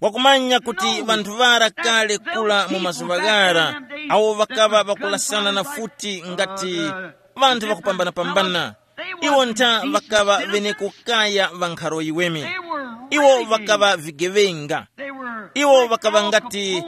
wakumanya kuti vanthu ŵara kale kula mu mazuŵa ghara, awo ŵakaŵa ŵakulasana na futi ngati vanthu ŵakupambana-pambana. Iwo ntha ŵakaŵa ŵeneko kaya ŵa nkharo yiweme. Iwo ŵakaŵa vigeŵenga. Iwo ŵakaŵa ngati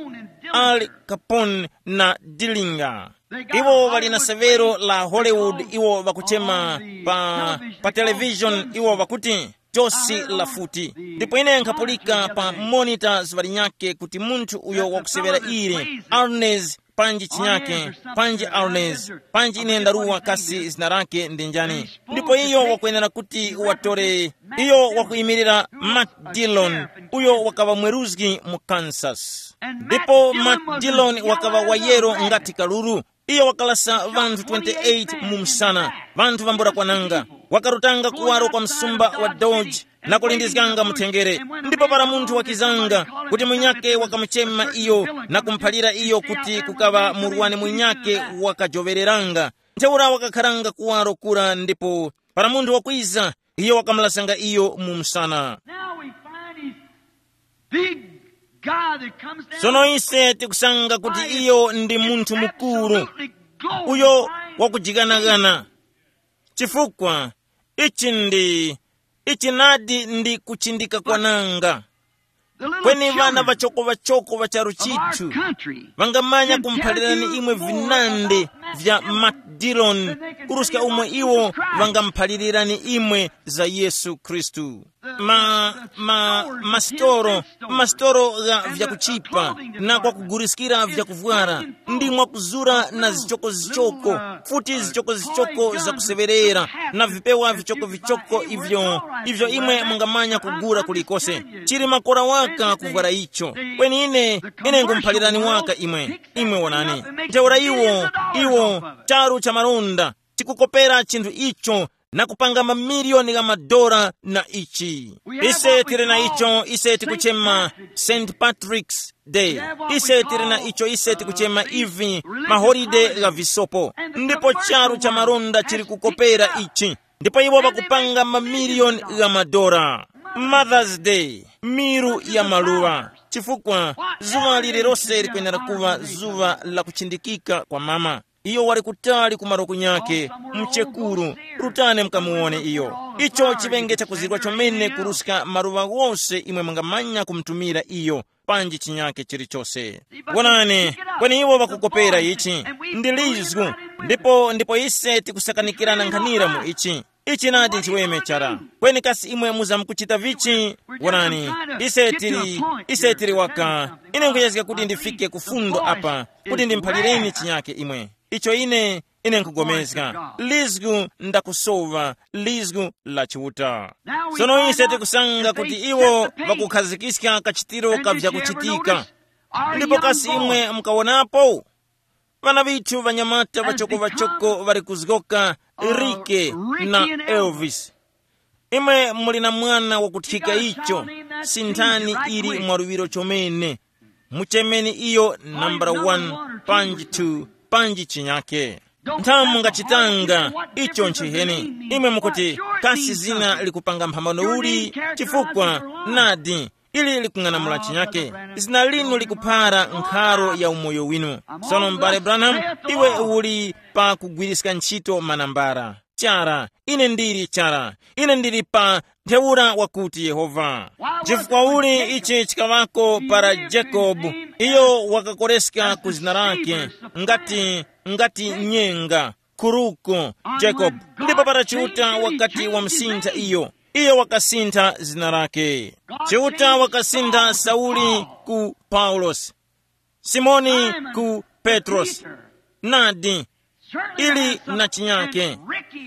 Al Capone na Dillinger. Iwo ŵali na severo la Hollywood, iwo ŵakuchema pa, pa television, iwo ŵakuti josi la futi. Ndipo ine nkhapulika pa monita zuŵa linyakhe kuti munthu uyo wakusevera ili, Arnes panji chinyake, panji Arnes, panji ine ndaruwa kasi zina lake ndi njani. Ndipo iyo wakwenera kuti watore, iyo wakuyimirira Matt Dillon, uyo wakaŵa mweruzgi mu Kansas. Ndipo Matt Dillon wakaŵa wayero ngati kaluru. Iyo wakalasa ŵanthu twenty-eight mu msana, ŵanthu vambula kwananga. Wakarutanga kuwaro kwa msumba wa Dodge na kulindizganga mutengere. Ndipo para munthu wakizanga kuti munyakhe wakamuchema iyo na kumuphalira iyo kuti kukaŵa murwani munyakhe wakajowereranga, ntheura wakakharanga kuwaro kura ndipo para munthu wakwiza, iyo wakamulasanga iyo mu msana. Now we find he's big God that comes down. Sono ise tikusanga kuti iyo ndi munthu mukuru, absolutely glorified, uyo wakujikanakana. Chifukwa ichi ndi, ichi nadi ndi kuchindika kwananga. Kweni ŵana ŵachoko-ŵachoko ŵa charu chithu ŵangamanya kumphalirani imwe vinande vya Matt Dillon, kuruska umo iwo ŵangamuphalirani imwe za Yesu Khristu. Ma, ma, masitoro, masitoro gha vyakuchipa na kwakuguriskira vyakuvwara, ndi mwakuzura na zichokozichoko, futi zichokozichoko zakuseŵerera, na vipewa vichokovichoko ivyo, ivyo imwe mungamanya kugura kulikose. Chili makora waka kuvwara icho. Kweni ine, ine ngumuphalirani waka imwe. Imwe wonani. Ntheura iwo, iwo, charu cha malonda, tikukopera chinthu icho na kupanga mamiliyoni gha madora na ichi. Ise tili na icho ise tikuchema Saint Patrick's Day. Ise tili na icho ise tikuchema ivi maholiday gha visopo. Ndipo charu cha malonda chili kukopera ichi. Ndipo iwo ŵakupanga mamiliyoni gha madora. Mother's Day, miru ya maluwa. Chifukwa zuŵa lililose likwenera kuŵa zuŵa la kuchindikika kwa mama. Iyo wali kutali ku malo kunyakhe, mchekuru, rutani mukamuwone iyo. Icho chiŵenge chakuzirwa chomene kuruska maluŵa ghose imwe mungamanya kumutumira iyo, panji chinyakhe chilichose. Wonani, kweni iwo ŵakukopera ichi, ndi lizgu, ndipo ndipo ise tikusakanikirana nkhanira mu ichi. Ichi nadi nchiweme chara. Kweni kasi imwe muzamkuchita vichi? Wonani, ise tili, ise tili waka. Ine nkuyezga kuti ndifike ku fundo apa, kuti ndimuphalireni chinyakhe imwe. Icho ine, ine nkugomezga. Lizgu ndakusowa, lizgu la Chiuta. Sono ise tikusanga kuti iwo ŵakukhazikika kachitiro ka vyakuchitika. Ndipo kasi imwe mukawonapo? Ŵana ŵithu ŵanyamata ŵachoko-ŵachoko ŵali kuzgoka Rike na Elvis. Imwe muli na mwana wakuthika icho, sinthani ili mwaluŵiro chomene. Muchemeni iyo nambala one, panji two, panji chinyake. Nthamu mungachitanga icho nchiheni. Imwe mukuti, kasi zina likupanga mphambano uli? Chifukwa nadi ili likung'anamula chinyake. Zina linu likuphara nkharo ya umoyo winu. Sono m'bale Branham, iwe uli pa kugwiriska ntchito manambara. Chara, ine ndili chara. Ine ndili pa ntheura wakuti Yehova. Chifukwa uli ichi chikaŵako para Jacob, iyo wakakoreska ku zina lake, ngati, ngati nyenga, kuruko, Jacob. Ndipo para Chiuta wakati wamusintha iyo, iyo wakasintha zina lake. Chiuta wakasintha Sauli ku Paulosi, Simoni ku Petrosi. Nadi, ili na chinyake.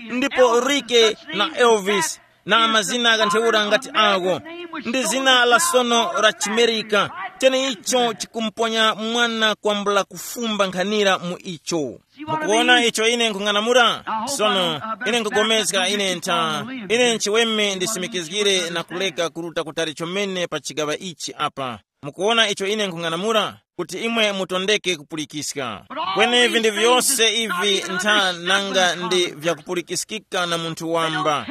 Ndipo Rike na Elvis na mazina gha ntheura ngati agho, ndi zina la sono la chimerika, Tene icho chikumuponya mwana kwambula kufumba nkhanira mu icho. Mukuona icho ine nkhung'anamula? Sono, ine nkugomezga ine ntha, ine nchiweme ndisimikizgire na kuleka kuruta kutali chomene pa chigaŵa ichi apa. Mukuona icho ine nkhung'anamula? Kuti imwe mutondeke kupulikiska. Kweni vinthu vyose ivi ntha nanga ndi vyakupulikiskika na munthu wamba.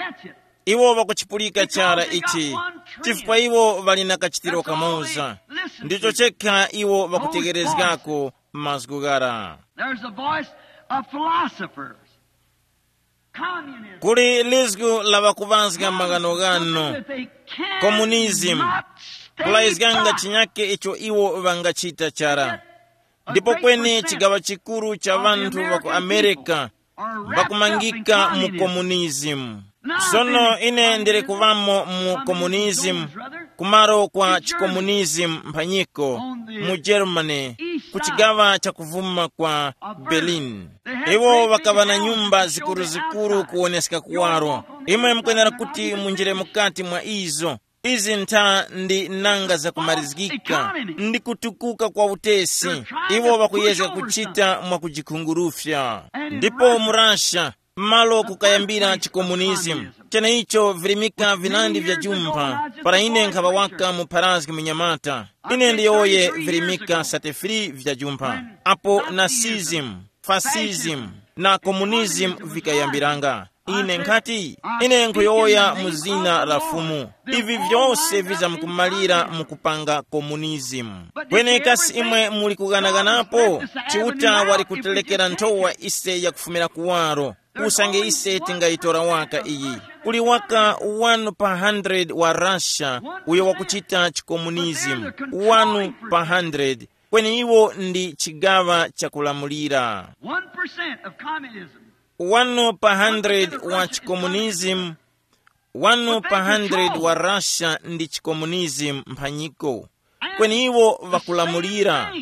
Iwo ŵakuchipulika chara ichi, chifukwa iwo ŵali na kachitiro kamoza. Ndicho chekha iwo ŵakutegerezgako mazgu ghara. There's a voice of philosophers. Communism. Kuli lizgu la ŵakuŵazga maghanoghano. Something that they can't Communism. Not stay Kulayizganga by. Chinyake icho iwo ŵangachita chara. Ndipo kweni chigaŵa chikuru cha ŵanthu ŵa ku America ŵakumangika mu komunizimu. Sono ine ndili kuvamo mu komunizimu, kumaro kwa chikomunizimu mphanyiko mu Germany, ku chigaŵa cha kuvuma kwa Berlin. Iwo ŵakaŵa na nyumba zikuruzikuru kuwoneska kuwaro. Imwe mukwenera kuti munjire mukati mwa izo. Izi ntha ndi nanga zakumarizgika, ndi kutukuka kwa utesi. Iwo ŵakuyezga kuchita mwakujikhungurufya. Ndipo mu Russia, malo kukayambira chikomunizimu, cheneicho virimika vinandi vya jumpha. Para ine nkhaŵa waka mu pharazgi munyamata, ine ndiyowoye virimika sate free vya jumpha, apo Nazism, fascism, na komunizimu vikayambiranga. Ine nkhati, ine nkhuyowoya mu zina la Fumu, ivi vyose vizamkumalira mu kupanga komunizimu. Kweni kasi imwe muli kughanaghanapo? Chiuta wali kutelekera nthowa ise yakufumira kuwaro. Usange ise tingayitora waka iyi, kuli waka wanu pa hundred wa Russia uyo wakuchita chikomunizimu. Wanu pa hundred, kweni iwo ndi chigaŵa chakulamulira. One percent of communism. Wanu pa hundred wa chikomunizimu, wanu pa hundred wa Russia ndi chikomunizimu mphanyiko, kweni iwo ŵakulamulira.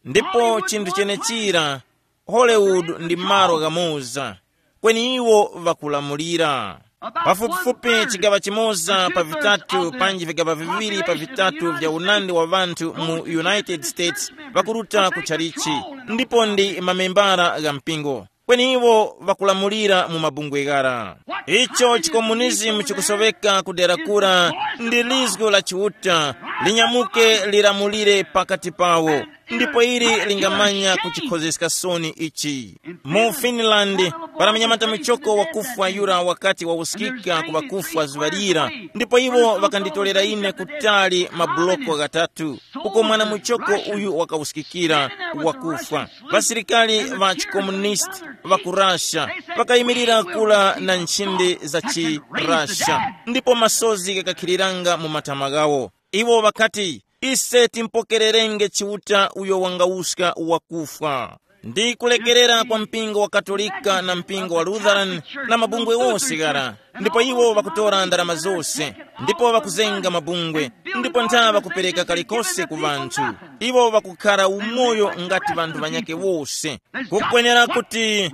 Ndipo chinthu chenechira, Hollywood ndi malo ghamoza, kweni iwo ŵakulamulira. Pafupifupi chigaŵa chimoza pa vitatu panji vigaŵa viŵiri pa vitatu vya unandi wa ŵanthu mu United States ŵakuruta ku tchalichi, ndipo ndi mamembara gha mpingo. Kweni iwo ŵakulamulira mu mabungwe ghara. Icho chikomunizimu chikusoweka ku dera kura ndi lizgu la Chiuta linyamuke lilamulire pakati pawo, ndipo ili lingamanya kuchikhozeska soni ichi. Mu Finland, para munyamata muchoko wakufwa yura wakati wawuskika ku ŵakufwa zuŵa lira, ndipo iwo ŵakanditolera ine kutali mabuloko ghatatu, uko mwana muchoko uyu wakawuskikira wakufwa. Ŵasilikali ŵa chikomunisti ŵa ku Russia ŵakayimirira kula na nchindi za chi Russia, ndipo masozi ghakakhiriranga mu matama ghawo. Iwo ŵakati, ise timpokererenge Chiuta uyo wangawuska wakufwa. Ndi kulekerera kwa mpingo wa Katolika na mpingo wa Lutheran na mabungwe wose ghara, ndipo iwo ŵakutora ndarama zose, ndipo ŵakuzenga mabungwe, ndipo ntha ŵakupereka kalikose ku ŵanthu. Iwo ŵakukhara umoyo ngati ŵanthu ŵanyakhe wose. Kukwenera kuti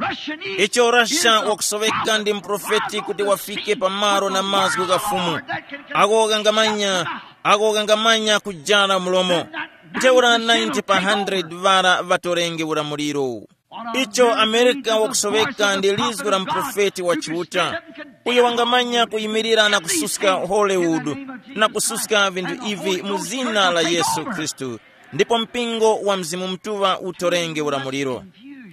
icho Russia wakusoweka ndi muprofeti kuti wafike pamalo na mazgu gha Fumu. Ako kangamanya, ako kangamanya kujana mulomo. Ntheura ninety pa hundred ŵara ŵatorenge ulamuliro. Icho Amerika wakusoweka ndi lizgu la muprofeti wa Chiuta, uyo wangamanya kuyimirira na kususka Hollywood na kususka vinthu ivi mu zina la Yesu Khristu, ndipo mpingo wa Mzimu Mutuŵa utorenge ulamuliro.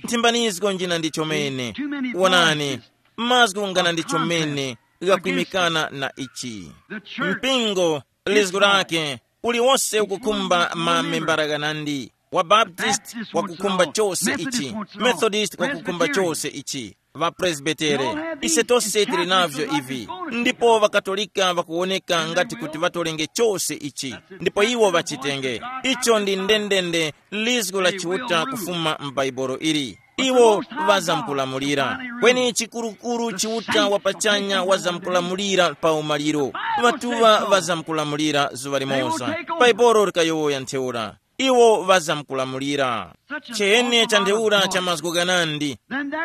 Nthimbanizgo njina ndi chomene. Wonani, mazgu ngana ndi chomene ghakwimikana na ichi. Mpingo, lizgu lake, uliwonse ukukhumba mamembala ghanandi. Wa Baptist wakukhumba chose ichi, Methodist wakukhumba chose ichi, ŵa Presbitere. Ise tose tili navyo ivi. Ndipo ŵakatolika ŵakuwoneka ngati kuti ŵatolenge chose ichi, ndipo iwo ŵachitenge. Icho ndi ndendende lizgu la Chiuta kufuma m'Baibulo ili. Iwo ŵazamkulamulira. Kweni chikurukuru Chiuta wa pachanya wazamkulamulira pa umaliro. Ŵatuŵa ŵazamkulamulira zuŵa limoza. Bhaibuli likayowoya ntheura. Iwo ŵazamkulamulira. Chihene cha ntheura cha mazgu ghanandi.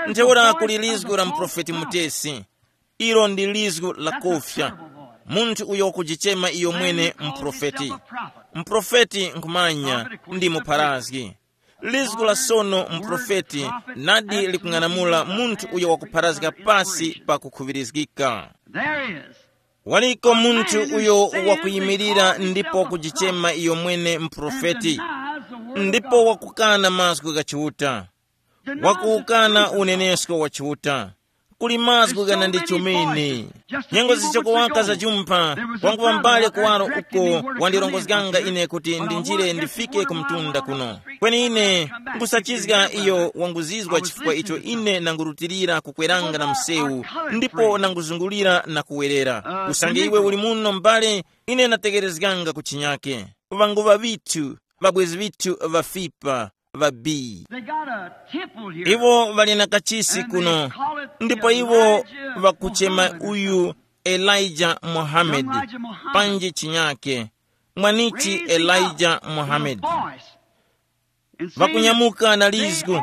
Ntheura kuli lizgu la muprofeti mutesi. Ilo ndi lizgu la kofya. Munthu uyo wakujichema iyo mwene mprofeti. Mprofeti nkhumanya ndi mupharazgi. Lizgu la sono mprofeti nadi likung'anamula munthu uyo wakupharazga pasi pa kukhuŵirizgika. There is. Waliko munthu uyo wakuyimirira ndipo kujichema iyo mwene mprofeti, ndipo wakukana mazgu gha Chiuta, wakuukana unenesko wa Chiuta. Kuli mazgu gana ndi chomene. Nyengo zichokowaka za jumpha, wangu wambale kuwaro uko wandirongozganga ine kuti ndinjire ndifike ku mtunda kuno. Kweni ine nkusachizga iyo wanguzizwa chifukwa icho ine nangurutilira kukweranga na msewu, ndipo nanguzungulira na kuwerera. Usange iwe uli muno mbale, ine nategerezganga ku chinyake. Ŵangu ŵavithu, ŵabwezi vithu ŵafipa, ŵabi. They got a temple here. Iwo ŵali na kachisi kuno, ndipo iwo ŵakuchema uyu Elijah Muhammad, panji chinyake, mwanichi Elijah Muhammad. Vakunyamuka na lizgu,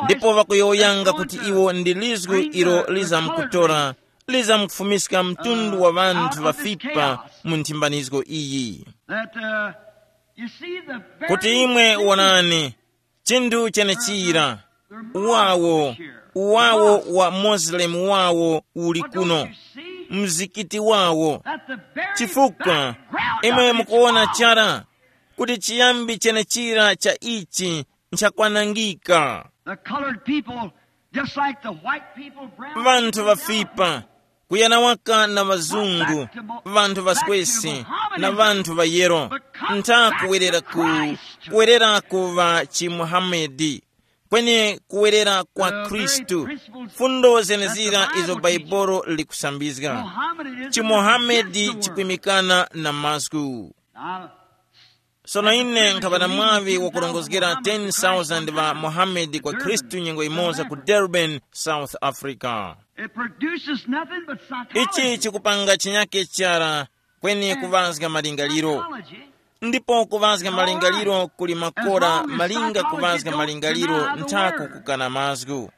ndipo vakuyowoyanga kuti iwo ndi lizgu ilo lizamkutora, lizamkufumiska mtundu wa ŵanthu ŵafipa mu nthimbanizgo iyi. That, uh, you see the very kuti imwe thing wonani, chinthu chenechira, uwawo, uwawo wa Muslim wawo uli kuno, mzikiti wawo. Chifukwa imwe mukuwona chara kuti chiyambi chenechira cha ichi nchakwanangika. The colored people, just like the white people, brown vanthu people, vafipa, kuyana waka na vazungu, vanthu vaswesi, na vanthu vayero, ntha kuwerera ku kuwerera ku va chimuhamedi, kweni kuwerera kwa khristu. Fundo zenezira izo bhaibolo likusambizga. Chimuhamedi chikwimikana na mazgu. Sono ine nkhaŵa na mwaŵi wakurongozgera ten thousand ŵa Muhammad kwa Khristu nyengo imoza ku Durban, South Africa. It produces nothing but psychology. Ichi chikupanga chinyake chara, kweni kuŵazga malingaliro. Psychology. Ndipo kuŵazga malingaliro kuli makora malinga kuŵazga malingaliro nthaku kukana mazgu.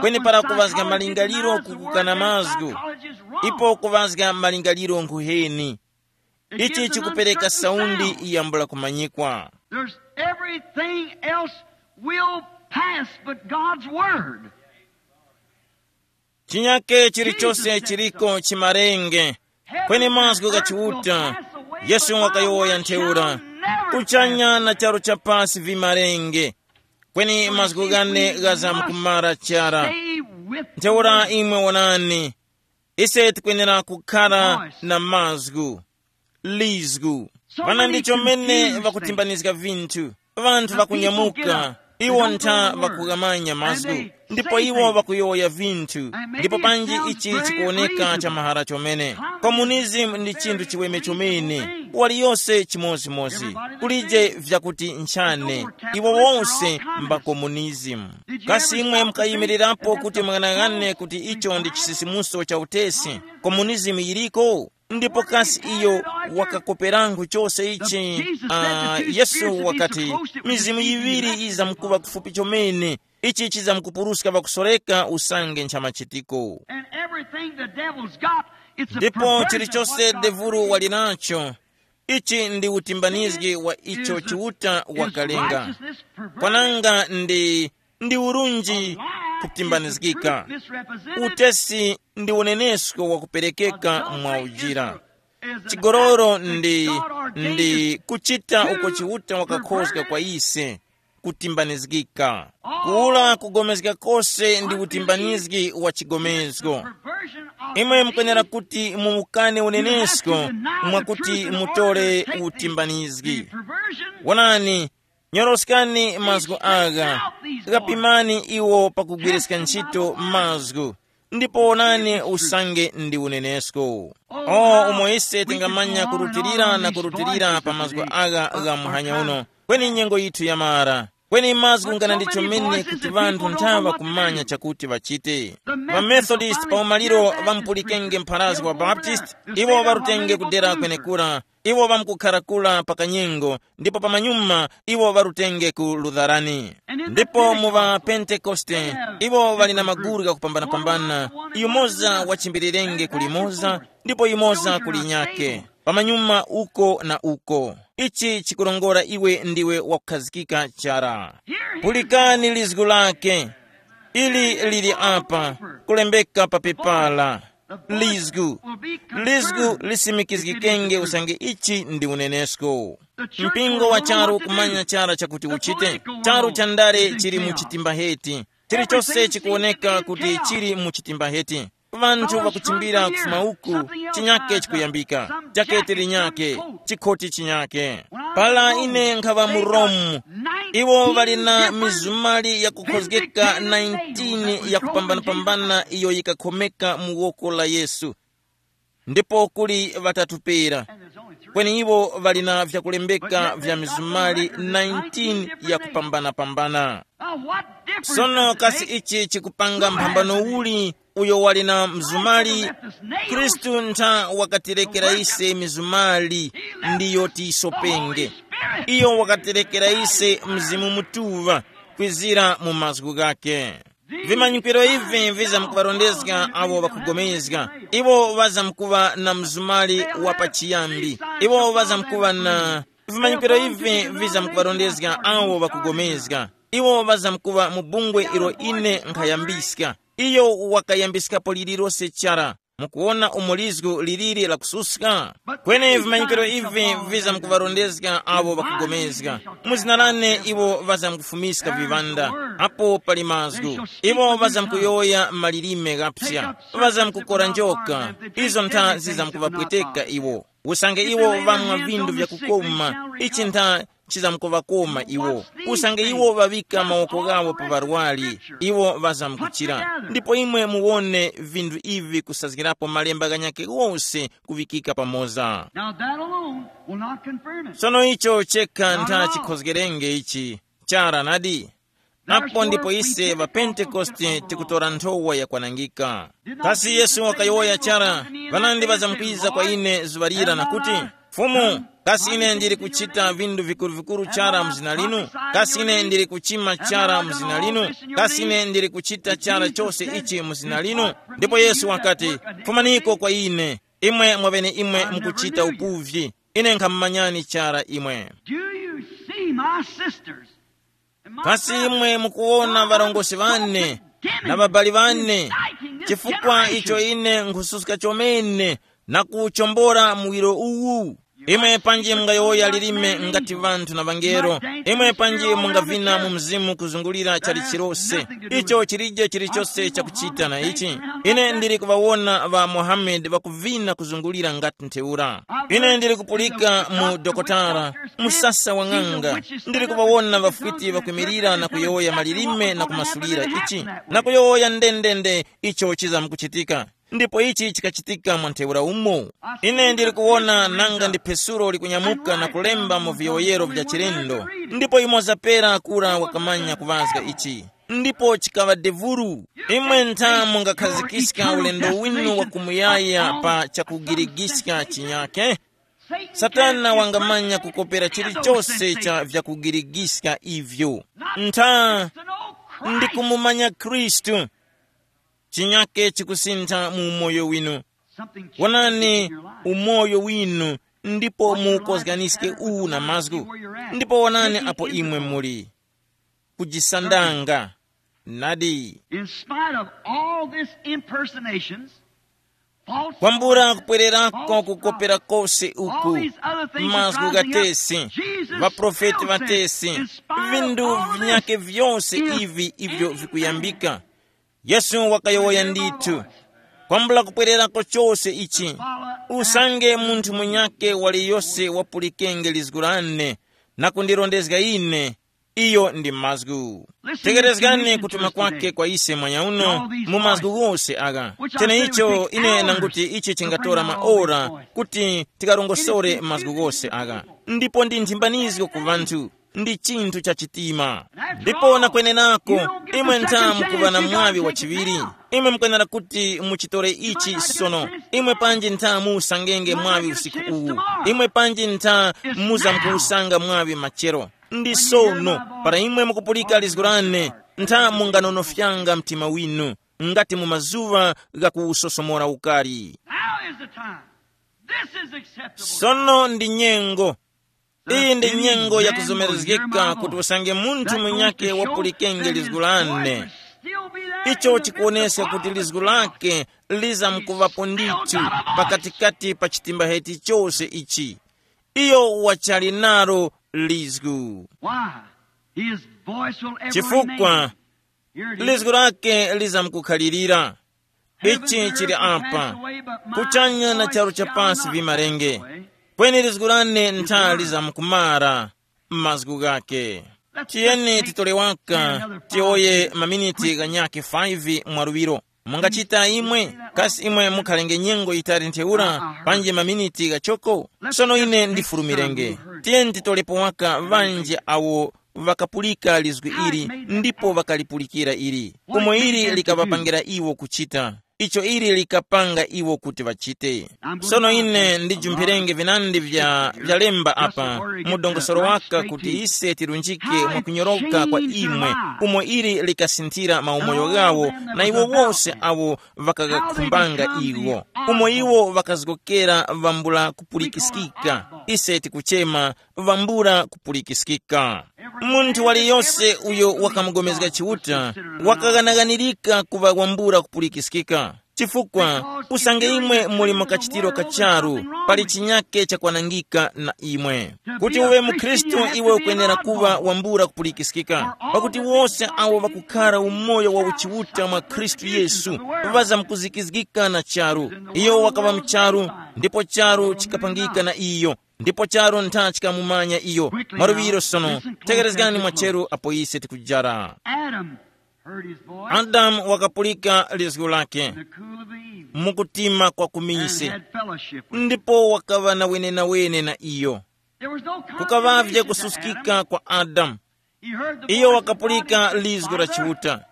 Kweni para kuŵazga malingaliro kukukana mazgu, ipo kuŵazga malingaliro nkhuheni. Ichi chikupereka saundi yambula kumanyikwa. There's everything else will pass but God's word. Chinyake chilichose chiliko chimarenge, kweni mazgu gha Chiuta. Yesu wakayowoya ntheura, kuchanya na charu cha pasi vimarenge, kweni mazgu ghane ghazamkumara chara. Ntheura imwe wonani, ise tikwenera kukhara na mazgu, lizgu. Vana ndi chomene vakutimbanizga vinthu. Vanthu vakunyamuka, iwo ntha vakughamanya mazgu, ndipo iwo vakuyowoya vinthu. Ndipo panji ichi chikuwoneka cha mahara chomene. Komunizimu ndi chinthu chiweme chomene, waliyose chimozimozi. Kulije vyakuti nchane, iwo wonse mba komunizimu. Kasi imwe mukayimirirapo kuti mung'anang'ane kuti icho ndi chisisimuso cha utesi? Komunizimu yiliko. Ndipo kasi iyo wakakoperangu chose ichi? Ah, Yesu wakati, mizimu yiŵiri yizamkuŵa kufupi chomene, ichi chizamkupuruska pakusoreka usange nchamachitiko. And everything the devil's got, it's a ndipo perversion of chilichose what God devulu created. Wali nacho, ichi ndi utimbanizgi wa icho Chiuta wakalenga. Kwananga ndi ndi urunji kutimbanizgika. Utesi ndi unenesko wakuperekeka mwa ujira. Chigololo ndi ndi kuchita uko Chiuta wakakhozga kwa ise, kutimbanizgika. Kuula kugomezga kose ndi utimbanizgi wa chigomezgo. Imwe mukwenera kuti mumukane unenesko mwakuti mutole utimbanizgi. Wonani, nyoroskani mazgu agha, ghapimani iwo pakugwiriska ntchito mazgu, ndipo wonani usange ndi unenesko. O umo ise tingamanya kurutilira na kurutilira pa mazgu agha gha muhanya uno, kweni nyengo yithu yamara. Kweni mazgu ngana ndi chomene kuti ŵanthu nthaŵa kumanya chakuti ŵachite. Ŵamethodist pa umaliro ŵamupulikenge mpharazgi wa Baptist, iwo ŵarutenge kudera kwenekura, iwo ŵamkukhara kura pa kanyengo, ndipo pamanyuma iwo ŵarutenge ku Lutharani. Ndipo mu ŵa Pentekoste, iwo ŵali na maguru ghakupambanapambana, yumoza wachimbirirenge ku limoza, ndipo yumoza ku linyakhe, pamanyuma uko na uko. Ichi chikurongora iwe ndiwe wakukhazikika chara. Pulikani lizgu lake. Ili lili apa, kulembeka pa pepala. Lizgu. Lizgu lisimikizgikenge usange ichi ndi unenesko. Mpingo wa charu ukumanya chara chakuti uchite. Charu cha ndale chili mu chitimba heti. Chilichose chikuwoneka kuti chili mu chitimba heti. Vanthu vakuchimbira kufuma uku, chinyake chikuyambika, jakete linyake, chikhoti chinyake. Pala ine nkhaŵa mu Romu, iwo ŵali na mizumali yakukhozgeka nineteen yakupambanapambana iyo yikakhomeka mu woko la Yesu. Ndipo kuli ŵatatu pera, kweni iwo ŵali na vyakulembeka vya mizumali nineteen yakupambanapambana. Sono kasi ichi chikupanga mphambano uli? Uyo wali na mzumali, Khristu ntha wakatirekera ise mizumali, ndiyo tiyisopenge. Iyo wakatirekera ise Mzimu Mutuŵa kwizira mu mazgu ghake. Vimanyikiro ivi vizamkuŵarondezga awo ŵakugomezga. Iwo ŵazamkuŵa na mzumali wa pachiyambi. Iwo ŵazamkuŵa na vimanyikiro ivi vizamkuŵarondezga awo ŵakugomezga. Iwo ŵazamkuŵa mu bungwe ilo ine nkhayambiska. Iyo wakayambiskapo lililose chara. Mukuwona umo lizgu liliri lakususka? Kweni vimanyikiro ivi vizamkuŵarondezga awo ŵakugomezga. Mu zina lane iwo ŵazamkufumiska viŵanda, apo pali mazgu. Iwo ŵazamkuyowoya malilime ghapsa. Ŵazamkukora njoka. Izo ntha zizamkuŵapweteka iwo. Usange iwo ŵamwa vindu vyakukoma, ichi ntha chizamkuŵakoma iwo. Usange iwo ŵaŵika mawoko ghawo pa ŵarwari, iwo ŵazamkuchira. Ndipo imwe muwone vindu ivi kusazgirapo malemba ghanyakhe ghose kuŵikika pamoza. Now that alone will not confirm it. Sono icho chekha ntha chikhozgerenge ichi. Chara nadi. Apo ndipo ise ŵapentekoste tikutora nthowa yakwanangika. Kasi Yesu wakayowoya chara, ŵanandi ŵazamkwiza kwa ine zuŵa lira na kuti, Fumu, kasi ine ndili kuchita vindu vikuru-vikuru chara mu zina linu? Kasi ine ndili kuchima chara mu zina linu? Kasi ine ndili kuchita chara chose ichi mu zina linu? Ndipo Yesu wakati, Fumaniko kwa ine, imwe mwaŵeneimwe mukuchita upuvyi, ine nkhamumanyani chara imwe. Do you see, my sisters? Kasi imwe mukuwona ŵarongozgi ŵane na ŵabali ŵane, chifukwa icho ine nkhususka chomene na kuwuchombora muwiro uwu? Imwe panji mungayowoya lilime ngati ŵanthu na ŵangelo, imwe panji mungavina mu mzimu kuzungulira chalichirose. Icho chilije chilichose chakuchita na ichi. Ine ndili kuŵawona ŵa Mohammed ŵakuvina kuzungulira ngati ntheura. Ine ndili kupulika mu dokotala, musasa wa ng'anga, ndili kuŵawona ŵafwiti ŵakwimirira na kuyowoya malilime na kumasulira ichi, na kuyowoya ndendende icho chizamkuchitika. Ndipo ichi chikachitika mwa ntheura umo. Ine ndili kuwona nanga ndi phesulo likunyamuka na kulemba mu viyowoyero vya chilendo. Ndipo imoza pera kura wakamanya kuŵazga ichi. Ndipo chikaŵa devuru. Imwe ntha mungakhazikika ulendo winu wa kumuyaya pa chakugirigiska chinyakhe? Satana wangamanya kukopera chilichose cha vyakugirigiska ivyo. Ntha ndikumumanya Khristu. Chinyake chikusintha mu umoyo winu. Wonani umoyo winu, ndipo muukozganiske uwu na mazgu. Ndipo wonani apo imwe muli. Kujisandanga. Nadi. In spite of all this impersonations, false kwambula prophets, kupwererako false kukopera prophets, kose all uku, these other things mazgu rising up, gatesi, Jesus vaprofeti still said, vatesi, in spite of vindu all this, vinyake vyose is ivi ivyo any vikuyambika, man Yesu wakayowoya ndithu, kwambula kupwererako chose ichi, usange munthu munyake waliyose wapulikenge lizgu lane na kundirondezga ine, iyo ndi mazgu. Tegerezgani kutuma kwake kwa ise mwanyauno mu mazgu ghose agha. Cheneicho ine nanguti ichi chingatora maora kuti tikarongosore mazgu ghose agha. Ndipo ndi nthimbanizgo ku vanthu. ndi chinthu cha chitima. Ndipo na kwenenako, imwe nthamu kuŵa na mwaŵi wa chiŵiri. Imwe mukwenera kuti muchitore ichi sono. Imwe panji nthamu usangenge mwaŵi usiku uwu. Imwe panji ntha muzamkuwusanga mwaŵi machero. Ndi sono, para imwe mukupulika lizgu lane, ntha munganonofyanga mtima winu, ngati mu mazuŵa ghakuwusosomora ukari. Now is the time. This is acceptable. Sono ndi nyengo. Iyi ndi nyengo yakuzomerezgeka kuti usange munthu munyakhe wapulikenge lizgu lane. Icho chikuwoneska kuti lizgu lake lizamkuŵapo ndithu pakatikati pa chitimba hechi chose ichi. Iyo wachali nalo lizgu. Why? His voice will ever chifukwa remain. Here it is. Lizgu lake lizamkukhalirira. Ichi chili apa. Kuchanya na charu cha pasi vimarenge. Kweni lizgu lane ntha lizamkumara mazgu ghake. Tiyeni titole waka tiyoye maminiti ghanyakhe five mwaluŵiro. Mungachita imwe? Kasi imwe mukhalenge nyengo yitali ntheura panji maminiti ghachoko? Sono ine ndifulumirenge. Tiyeni titolepo waka ŵanji awo ŵakapulika lizgu ili ndipo ŵakalipulikira ili. Umo ili likaŵapangira iwo kuchita icho ili likapanga iwo kuti ŵachite. Sono ine ndijumpherenge vinandi vya vyalemba apa mu dongosolo waka kuti ise tirunjike mwakunyoroka kwa imwe, umo ili likasinthira maumoyo ghawo na iwo wose awo ŵakagakhumbanga iwo, umo iwo ŵakazgokera ŵambula kupulikiskika. Ise tikuchema ŵambula kupulikiskika. Munthu waliyose uyo wakamugomezga Chiuta wakaghanaganirika kuŵa wambula kupulikiskika. Chifukwa usange imwe muli mu kachitiro ka charu, pali chinyake chakwanangika na imwe. Kuti uwe mukhristu, iwe ukwenera kuŵa wambula kupulikiskika, pakuti wose awo ŵakukhara umoyo wa uchiuta mwa Khristu Yesu ŵazamkuzikizgika na charu. Iyo wakaŵa mu charu, ndipo charu chikapangika na iyo, ndipo charu ntha chikamumanya iyo. Mwaluŵiro sono, tekerezgani mwacheru apo ise tikujara. Adam heard his voice. Adamu wakapulika lizgu lake The cool of the evening. Mukutima kwa And kuminsi, had fellowship with him. Ndipo wakaŵa na wenenawene na iyo. There was no kukavavye condemnation to Adam. Kususkika kwa Adamu. He heard the iyo voice of God wakapulika and said, lizgu la Father, Chiuta.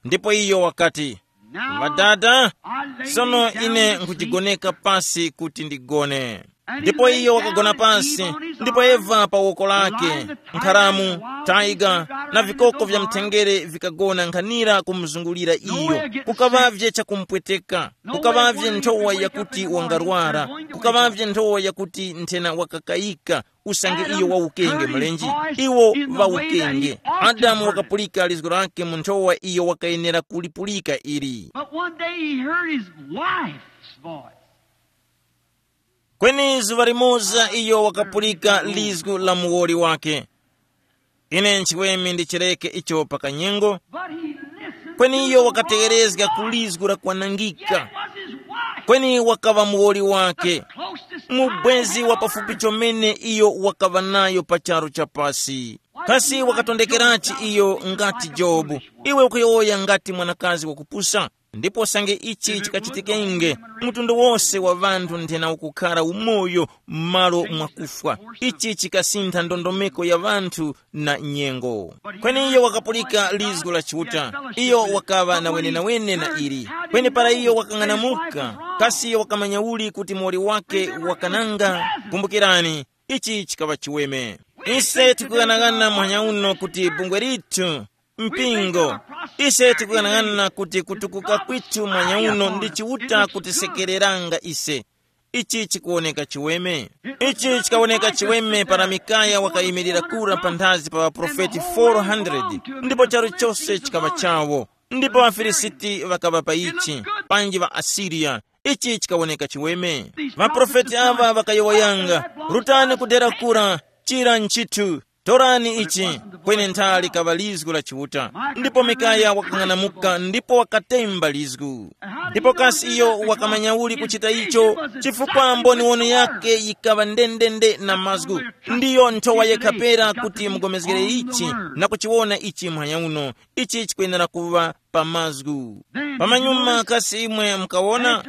Ndipo iyo wakati, now Ŵadada, I lay sono me down ine to sleep. Nkhujigoneka pasi kuti ndigone. Ndipo iyo wakagona pansi, ndipo Eva pa woko lake, nkharamu, taiga, na vikoko vya mthengere vikagona nkhanira kumuzungulira iyo. Kukaŵavye chakumpweteka, kukaŵavye nthowa yakuti wangarwara, kukaŵavye nthowa yakuti nthena wakakayika, usange iyo wawukenge mlenje. Iwo ŵawukenge. Adamu wakapulika lizgu lake mu nthowa iyo wakayenera kulipulika ili. But one day he heard his wife's voice. Kweni zuŵa limoza iyo wakapulika lizgu la muwoli wake. Ine nchiweme ndichireke icho pakanyengo. But he listened kweni to iyo the wakategerezga voice. Ku lizgu la kwanangika. Yet it was his wife. Kweni wakaŵa muwoli wake. The closest mubwezi wa pafupi chomene iyo wakaŵa nayo pa charu cha pasi. Kasi wakatondekerachi iyo ngati Jobu? Iwe ukuyowoya ngati mwanakazi wakupusa. Ndipo usange ichi chikachitikenge, mtundu wose wa ŵanthu nthena ukukhara umoyo m'malo mwa kufwa. Ichi chikasintha ndondomeko ya ŵanthu na nyengo. Kweni iyo wakapulika lizgu la Chiuta. Iyo wakaŵa na wenewene na ili. Kweni para iyo wakang'anamuka, kasi iyo wakamanya uli kuti muwoli wake wakananga? Kumbukirani, ichi chikaŵa chiweme. Ise tikughanagana muhanya uno kuti bungwe lithu, mpingo, ise tikughanagana kuti kutukuka kwithu muhanya uno ndi Chiuta kutisekereranga ise. Ichi chikuwoneka chiweme. Ichi chikawoneka chiweme para Mikaya wakayimirira kura panthazi pa ŵaprofeti four hundred, ndipo charu chose chikaŵa chawo. Ndipo ŵaFilisiti ŵakaŵa pa ichi, panji ŵaAsiriya. Ichi chikawoneka chiweme. Ŵaprofeti aŵa ŵakayowoyanga, rutani kudera kura, chira nchithu, torani ichi. Kweni nthali kaŵa lizgu la Chiuta. Ndipo Mikaya wakang'anamuka ndipo wakatemba lizgu. Ndipo kasi iyo wakamanya uli kuchita icho? Chifukwa mboniwono yake yikaŵa ndendende na mazgu. Ndiyo nthowa yekha pera kuti mugomezgere ichi na kuchiwona ichi muhanya uno. Ichi chikwenera kuŵa pa mazgu. Pamanyuma kasi imwe mukawona?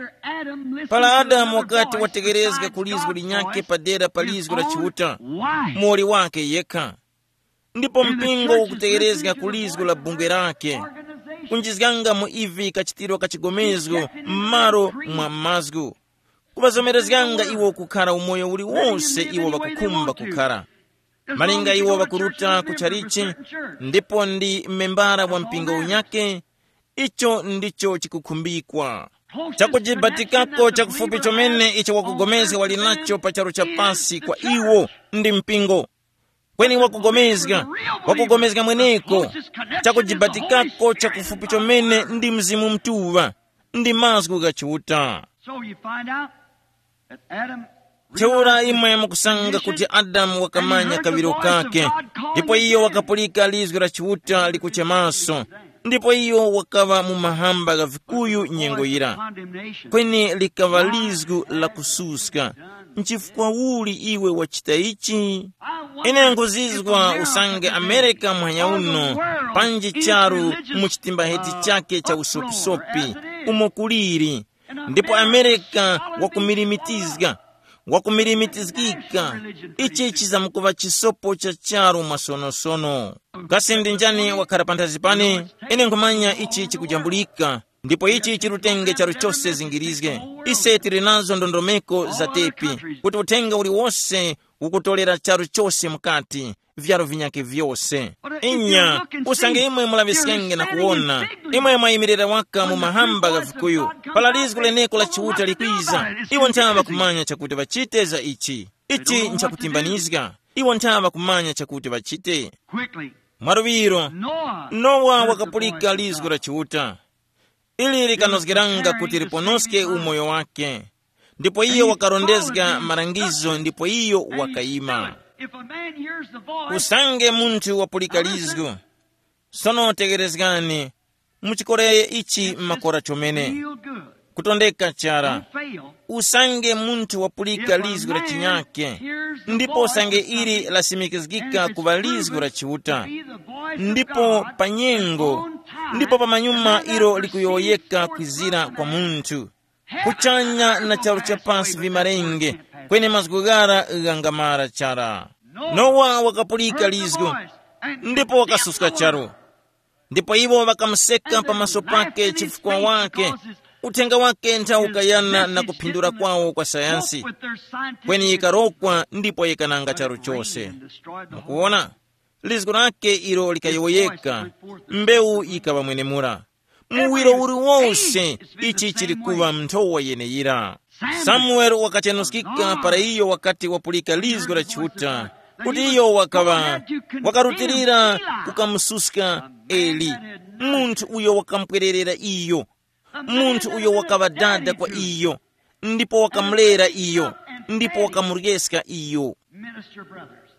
Para Adamu wakati wategerezga ku lizgu linyakhe padera pa lizgu la Chiuta, muwoli wake yekha. Ndipo mpingo ukutegerezga ku lizgu la bungwe lake, kunjizganga mu ivi kachitiro ka chigomezgo m'malo mwa mazgu, kuŵazomerezganga iwo kukhara umoyo uliwonse iwo ŵakukhumba kukhara. Malinga iwo ŵakuruta ku chalichi, ndipo ndi membara wa mpingo unyake, icho ndicho chikukhumbikwa. Chakujibatikako chakufupi chomene icho wakugomezga wali nacho pa charu cha pasi kwa iwo ndi mpingo. Kweni wakugomezga, wakugomezga mweneko, chakujibatikako chakufupi chomene ndi Mzimu Mutuŵa, ndi mazgu gha Chiuta. So you find out that Adam Ntheura imwe mukusanga kuti Adamu wakamanya kaŵiro kake, ndipo iyo wakapulika lizgu la Chiuta likuchemaso, ndipo iyo wakaŵa mu mahamba gha vikuyu nyengo yira. Kweni likaŵa lizgu la kususka. Nchifukwa uli iwe wachita ichi? Ine nkuzizwa usange Amerika muhanya uno, panji charu mu chitimbaheti chake cha usopisopi, umo kuliri. Ndipo Amerika wakumilimitizga, wakumilimitizgika. Ichi chizamkuŵa chisopo cha charu mwasonosono. Kasi ndi njani wakhara panthazi pane? Ine nkhumanya ichi chikujambulika. Ndipo ichi chirutenge charu chose zingirizge. Ise tili nazo ndondomeko za tepi, kuti uthenga uliwose ukutolera charu chose mukati, vyaro vinyakhe vyose. Inya, usange imwe mulaŵiskenge na kuwona, imwe mwayimirira waka mu mahamba gha vikuyu, para lizgu leneko la Chiuta likwiza, iwo nthawe ŵakumanya chakuti ŵachite za ichi. Ichi nchakutimbanizga. Iwo nthawe ŵakumanya chakuti ŵachite. Quickly, mwaluŵiro, Noah Nowa heard the wakapulika voice of lizgu God. La Chiuta. Ili likanozgeranga kuti liponoske umoyo wake. Ndipo iyo wakarondezga malangizo ndipo iyo wakayima. If a man hears the voice, usange munthu wapulika lizgu. Sono tegerezgani, muchikoreye ichi makora chomene. Real good. Kutondeka chara. Don't fail. Usange munthu wapulika lizgu la chinyake, ndipo usange ili lasimikizgika kuva lizgu la Chiuta, ndipo pa nyengo, ndipo pa manyuma ilo likuyowoyeka kwizira kwa munthu, kuchanya na charu cha pasi vimarenge, kweni mazgu ghara ghangamara chara. Nowa wakapulika lizgu, ndipo wakasuska charu. Ndipo iwo ŵakamuseka pamaso pake chifukwa wake, uthenga wake nthawu ukayana na kuphindula kwawo kwa sayansi. Kweni yikarokwa ndipo yikananga charu chose. Mukuona, lizgu lake ilo likayowoyeka, mbewu yikaŵa mwenemura. Muwiro uliwonse ichi chili kuŵa nthowa yeneyira. Samueli wakachenuskika para iyo wakati wapulika lizgu la Chiuta, kuti iyo wakaŵa wakarutilira kukamususka Eli, munthu uyo wakamupwererera iyo, munthu uyo wakaŵa dada kwa iyo, ndipo wakamulera iyo, ndipo wakamuryeska iyo. Minister brothers,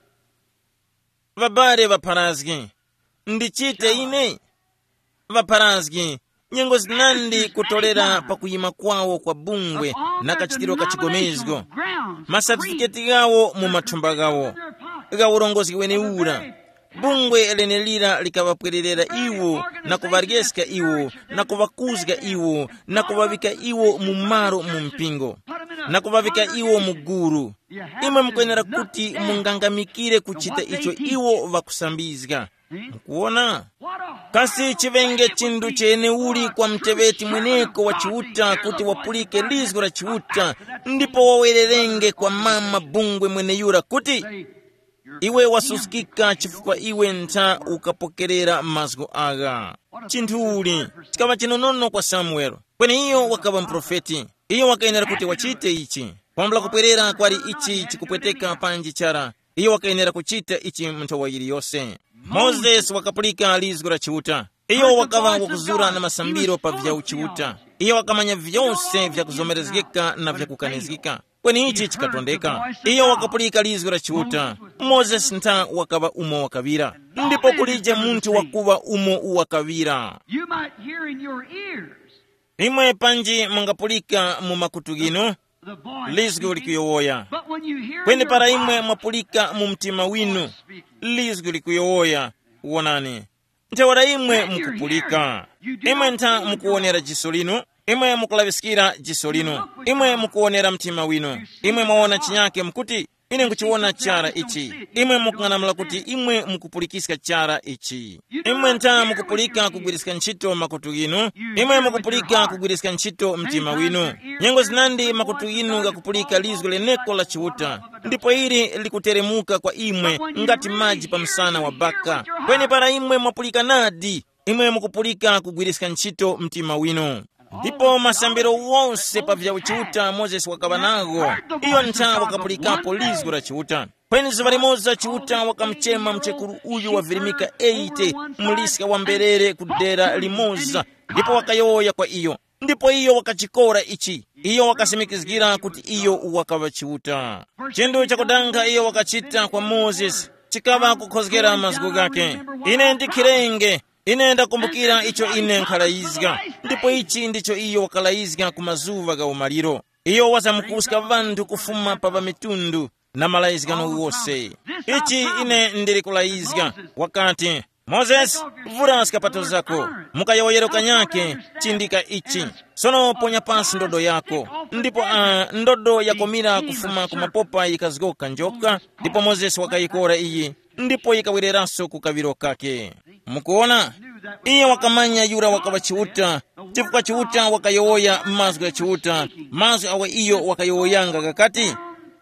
ŵabale ŵapharazgi, ndichite ine? Ŵapharazgi, nyengo zinandi kutolera pakuyima kwawo kwa bungwe na kachitiro ka chigomezgo, masatifiketi ghawo mu mathumba ghawo gha urongozgi wenewura. Bungwe lenelira likaŵapwererera iwo na kuŵaryeska iwo na kuŵakuzga iwo na kuŵaŵika iwo mu malo mu mpingo, na kuŵaŵika iwo mu gulu. Imwe mukwenera kuti mungangamikire kuchita icho iwo ŵakusambizga. Mukuona? Kasi chiŵenge chinthu cheneuli kwa muteŵeti mweneko wa Chiuta kuti wapulike lizgu la Chiuta, ndipo wawererenge kwa mama bungwe mweneyura kuti, iwe wasuskika chifukwa iwe ntha ukapokerera mazgu agha. Chinthu uli chikaŵa chinonono kwa Samueli. Kweni iyo wakaŵa muprofeti. Iyo wakayenera kuti wachite ichi. Pambula kupwerera kwali ichi chikupweteka panji chara, iyo wakayenera kuchita ichi mu nthawi yiliyose. Mozesi wakapulika lizgu la Chiuta. Iyo wakaŵa wakuzura na masambiro pa vya uchiuta. Iyo wakamanya vyose vyakuzomerezgika na vyakukanizgika. Kweni ichi chikatondeka. Iyo wakapulika lizgu la Chiuta. Mozesi ntha wakaŵa umo wakaŵira. Ndipo kulije munthu wakuŵa umo wakaŵira. You might hear in your ears imwe panji mungapulika mu makutu ghinu, the voice lizgu speaking, likuyowoya. But when you hear kweni your para imwe heart, mwapulika mu mtima winu, speaking, lizgu likuyowoya. Wonani, ntheura imwe mukupulika. Imwe ntha mukuwonera jiso linu, imwe mukulaŵiskira jiso linu, imwe mukuwonera mtima winu, imwe mwawona chinyake mukuti, Ine nkuchiwona chara ichi. Imwe mukung'anamula kuti imwe mukupulikiska chara ichi. Imwe ntha mukupulika kugwiriska ntchito makutu ghinu. Imwe mukupulika kugwiriska ntchito mtima winu. Nyengo zinandi makutu ghinu ghakupulika lizgu leneko la Chiuta, ndipo ili likuteremuka kwa imwe ngati maji pa msana wa baka. Kweni para imwe mwapulika nadi, imwe mukupulika kugwiriska ntchito mtima winu. Ndipo masambiro wose pa vya uchiuta Mozesi wakaŵa nago, iyo ntha wakapulikapo lizgu la Chiuta. Kweni zuŵa limoza Chiuta wakamuchema mchekuru uyu wavirimika eighty, muliska wa mberere ku dera limoza, ndipo wakayowoya kwa iyo. Ndipo iyo wakachikora ichi. Iyo wakasimikizgira kuti iyo wakaŵa Chiuta. Chinthu chakudanga iyo wakachita kwa Mozesi chikaŵa kukhozgera mazgu ghake. Ine ndikhirenge, ine ndakumbukira icho ine nkhalayizga. Ndipo ichi ndicho iyo wakalayizga ku mazuŵa gha umaliro. Iyo wazamukuska ŵanthu kufuma pa ŵamitundu na malayizgano wose. Ichi ine ndili kulayizga. Wakati, Mozesi, vura skapato zako, mukayowoyero kanyake, chindika ichi. Sono ponya pasi ndodo yako. Ndipo uh, ndodo yakomira kufuma ku mapopa yikazgoka njoka. Ndipo Mozesi wakayikora iyi, ndipo yikawereranso ku kaŵiro kake. Mukuona, iye wakamanya yura wakaŵa Chiuta, chifukwa Chiuta wakayowoya mazgu gha Chiuta. Mazgu awa iyo wakayowoyanga ghakati,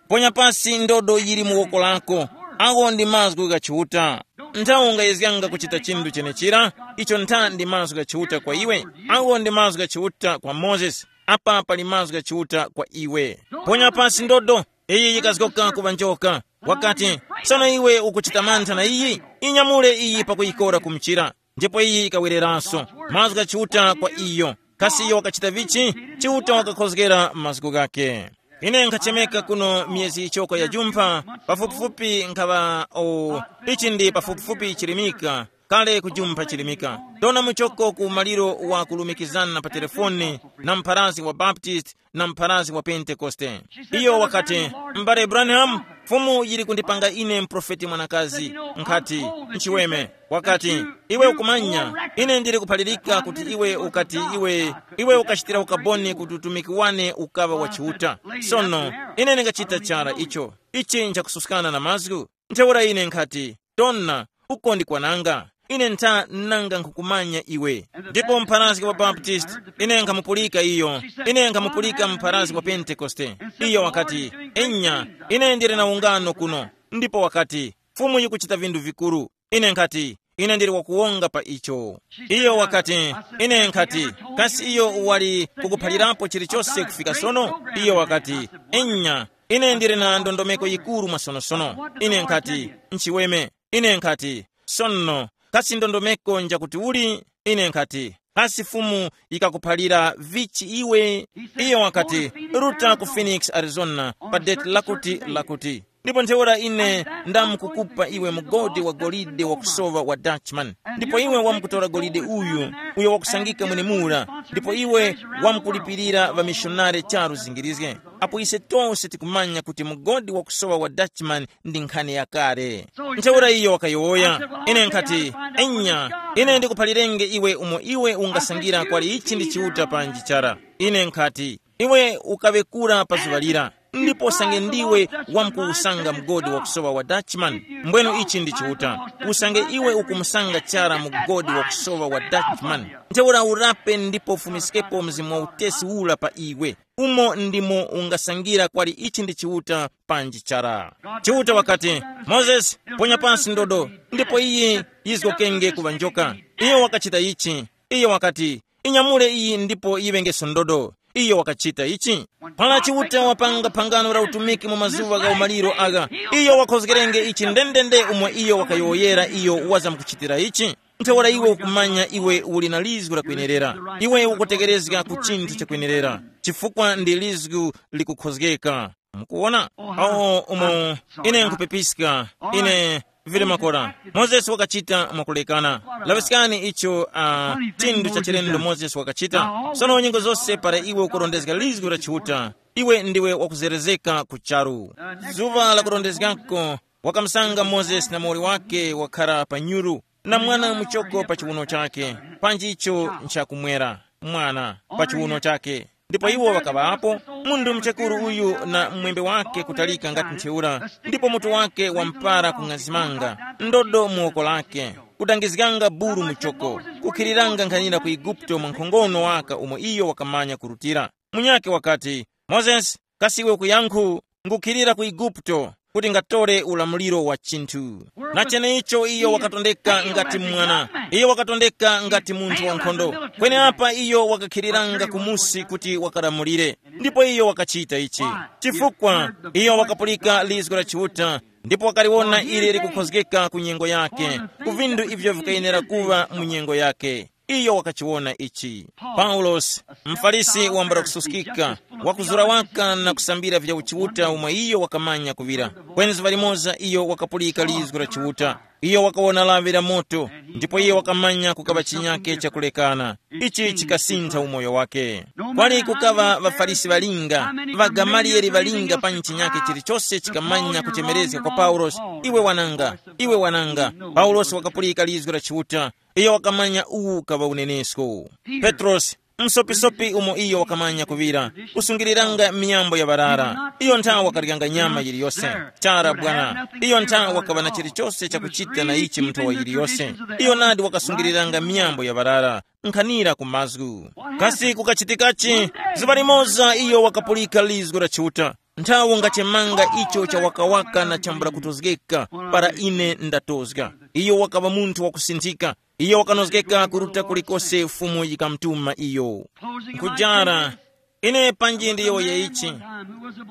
ponya pasi ndodo yili mu woko lako. Awo ndi mazgu gha Chiuta. Nthawi ungayezganga kuchita chinthu chenechira, icho ntha ndi mazgu gha Chiuta kwa iwe. Awo ndi mazgu gha Chiuta kwa Mozesi. Apa pali mazgu gha Chiuta kwa iwe. Ponya pasi ndodo, iyi yikazgoka kuŵa njoka. Wakati, sono iwe ukuchita mantha na iyi? Inyamule iyi pakuyikora ku mchira. Ndipo iyi ikawereranso. Mazgu gha Chiuta kwa iyo. Kasi iyo wakachita vichi? Chiuta wakakhozgera mazgu ghake. Ine nkhachemeka kuno myezi yichoko ya jumpha, pafupifupi nkhaŵa o, ichi ndi pafupifupi chilimika, kale kujumpha chilimika. Ndona muchoko ku maliro wa kulumikizana pa telefoni na mpharazi wa Baptist na mpharazi wa Pentekoste. Iyo wakati, m'bale Branham, Fumu yili kundipanga ine mprofeti mwanakazi. Nkhati, nchiweme. Wakati, iwe ukumanya, ine ndili kuphalirika kuti iwe ukati iwe, iwe ukachitira ukaboni kuti utumiki wane ukaŵa wa Chiuta. Sono, ine ndingachita chara icho. Ichi nchakususkana na mazgu. Ntheura ine nkhati, tona, uko ndi kwananga. Ine ntha nanga nkhukumanya iwe. Ndipo mpharazgi wa Baptist, ine nkhamupulika iyo. Ine nkhamupulika mpharazgi wa Pentekoste. Iyo wakati, enya, ine ndili na ungano kuno. Ndipo wakati, Fumu yikuchita vinthu vikuru. Ine nkhati, ine ndili wakuwonga pa icho. Iyo wakati, ine nkhati, kasi iyo wali kukuphalirapo chilichose kufika sono? Iyo wakati, enya, ine ndili na ndondomeko yikuru mwasonosono. Ine nkhati, nchiweme. Ine nkhati, sono, kasi ndondomeko njakuti uli? Ine nkhati, kasi Fumu yikakuphalira vichi iwe? Iyo wakati, ruta ku Phoenix, Arizona, pa date lakuti lakuti. Ndipo ntheura ine ndamkukupa iwe mugodi wa golide wakusowa wa Dutchman. Ndipo iwe wamkutora golide uyu, uyo wakusangika mwenemura, ndipo iwe wamkulipirira ŵamishonari charu zingirizge. Apo ise tose tikumanya kuti mugodi wakusowa wa Dutchman ndi nkhani yakale. Ntheura iyo wakayowoya, ine nkhati, enya, ine ndikuphalirenge iwe umo iwe ungasangira kwali ichi ndi Chiuta panji chara. Ine nkhati, iwe ukaŵekura pa zuŵa lira, ndipo usange ndiwe wamkuwusanga mgodi wakusowa wa Dutchman, mbwenu ichi ndi Chiuta. Usange iwe ukumusanga chara mgodi wakusowa wa Dutchman, ntheura urape ndipo ufumiskepo mzimu wa utesi ura pa iwe. Umo ndimo ungasangira kwali ichi ndi Chiuta panji chara. Chiuta wakati, Mozesi, ponya pansi ndodo, ndipo iyi yizgokenge kuŵa njoka. Iyo wakachita ichi. Iyo wakati, inyamule iyi ndipo yiŵengeso ndodo. Iyo wakachita ichi. Para Chiuta wapanga phangano la utumiki mu mazuŵa gha umaliro agha, iyo wakhozgerenge ichi ndendende umo iyo wakayowoyera iyo wazamkuchitira ichi. Ntheura iwe ukumanya iwe uli na lizgu lakwenerera. Iwe ukutegerezga ku chinthu chakwenerera, chifukwa ndi lizgu likukhozgeka. Mukuwona? Awo umo ine nkhupepiska, ine vile makora. Mozesi wakachita mwakulekana. Laŵiskani icho, uh, chinthu cha chilendo Mozesi wakachita. Sono nyengo zose para iwe ukurondezga lizgu la Chiuta, iwe ndiwe wakuzerezeka ku charu. Zuŵa la kurondezgako, wakamusanga Mozesi na muwoli wake wakhara pa nyuru, na mwana muchoko pa chiwuno chake, panji icho nchakumwera mwana pa chiwuno chake. Ndipo iwo ŵakaŵapo, munthu muchekuru uyu na mwembe wake kutalika ngati ntheura, ndipo mutu wake wampara kung'azimanga, ndodo mu woko lake, kudangizganga buru mu choko, kukhiriranga nkhanira ku Eguputo mwa nkhongono waka umo iyo wakamanya kurutira. Munyakhe wakati, "Mozesi, kasi iwe ukuyankhu? Ngukhirira ku Eguputo kuti ngatore ulamuliro wa chinthu." Na cheneicho iyo wakatondeka ngati mwana, iyo wakatondeka ngati munthu wankhondo. Kweneapa iyo wakakhiriranga kumusi kuti wakalamulire, ndipo iyo wakachita ichi chifukwa iyo wakapulika lizgu la Chiuta, ndipo wakaliwona ili likukhozgeka ku nyengo yake, ku vindu ivyo vikayenera kuva mu nyengo yake. Iyo wakachiwona ichi. Paulosi, mfarisi wambula kususkika, wakuzura waka na kusambira vya uchiuta umwe iyo wakamanya kuŵira. Kweni zuŵa limoza iyo wakapulika lizgu la Chiuta. Iyo wakawona lawi la moto, ndipo iyo wakamanya kukaŵa chinyake chakulekana. Ichi chikasintha umoyo wake. Kwali kukaŵa ŵafarisi ŵalinga, ŵagamaliyeli ŵalinga pa chinyake chilichose chikamanya kuchemerezga kwa Paulosi, "Iwe wananga, iwe wananga." Paulosi wakapulika lizgu la Chiuta, iyo wakamanya uwu ukaŵa unenesko. Petrosi, msopisopi umo iyo wakamanya kuŵira, kusungiliranga miyambo ya ŵarara. Iyo nthawe wakaryanga nyama yiliyose. Chara bwana, iyo nthawe wakaŵa na chilichose chakuchita na ichi mu nthowa yiliyose. Iyo nadi wakasungiliranga miyambo ya ŵarara, nkhanira ku mazgu. Kasi kukachitikachi? Zuŵa limoza iyo wakapulika lizgu la Chiuta. Nthawe ngachemanga icho cha wakawaka na chambula kutozgeka, para ine ndatozga. Iyo wakaŵa munthu wakusinthika. Iyo wakanozgeka kuruta kulikose Fumu yikamutuma iyo. Nkujara, ine panji ndiyowoye ichi.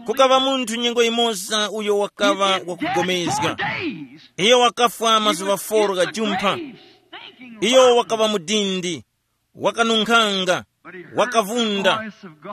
Kukaŵa munthu nyengo yimoza uyo wakaŵa wakugomezga. Iyo wakafwa mazuŵa foro gha jumpha. Iyo wakaŵa mudindi, wakanunkhanga, wakavunda.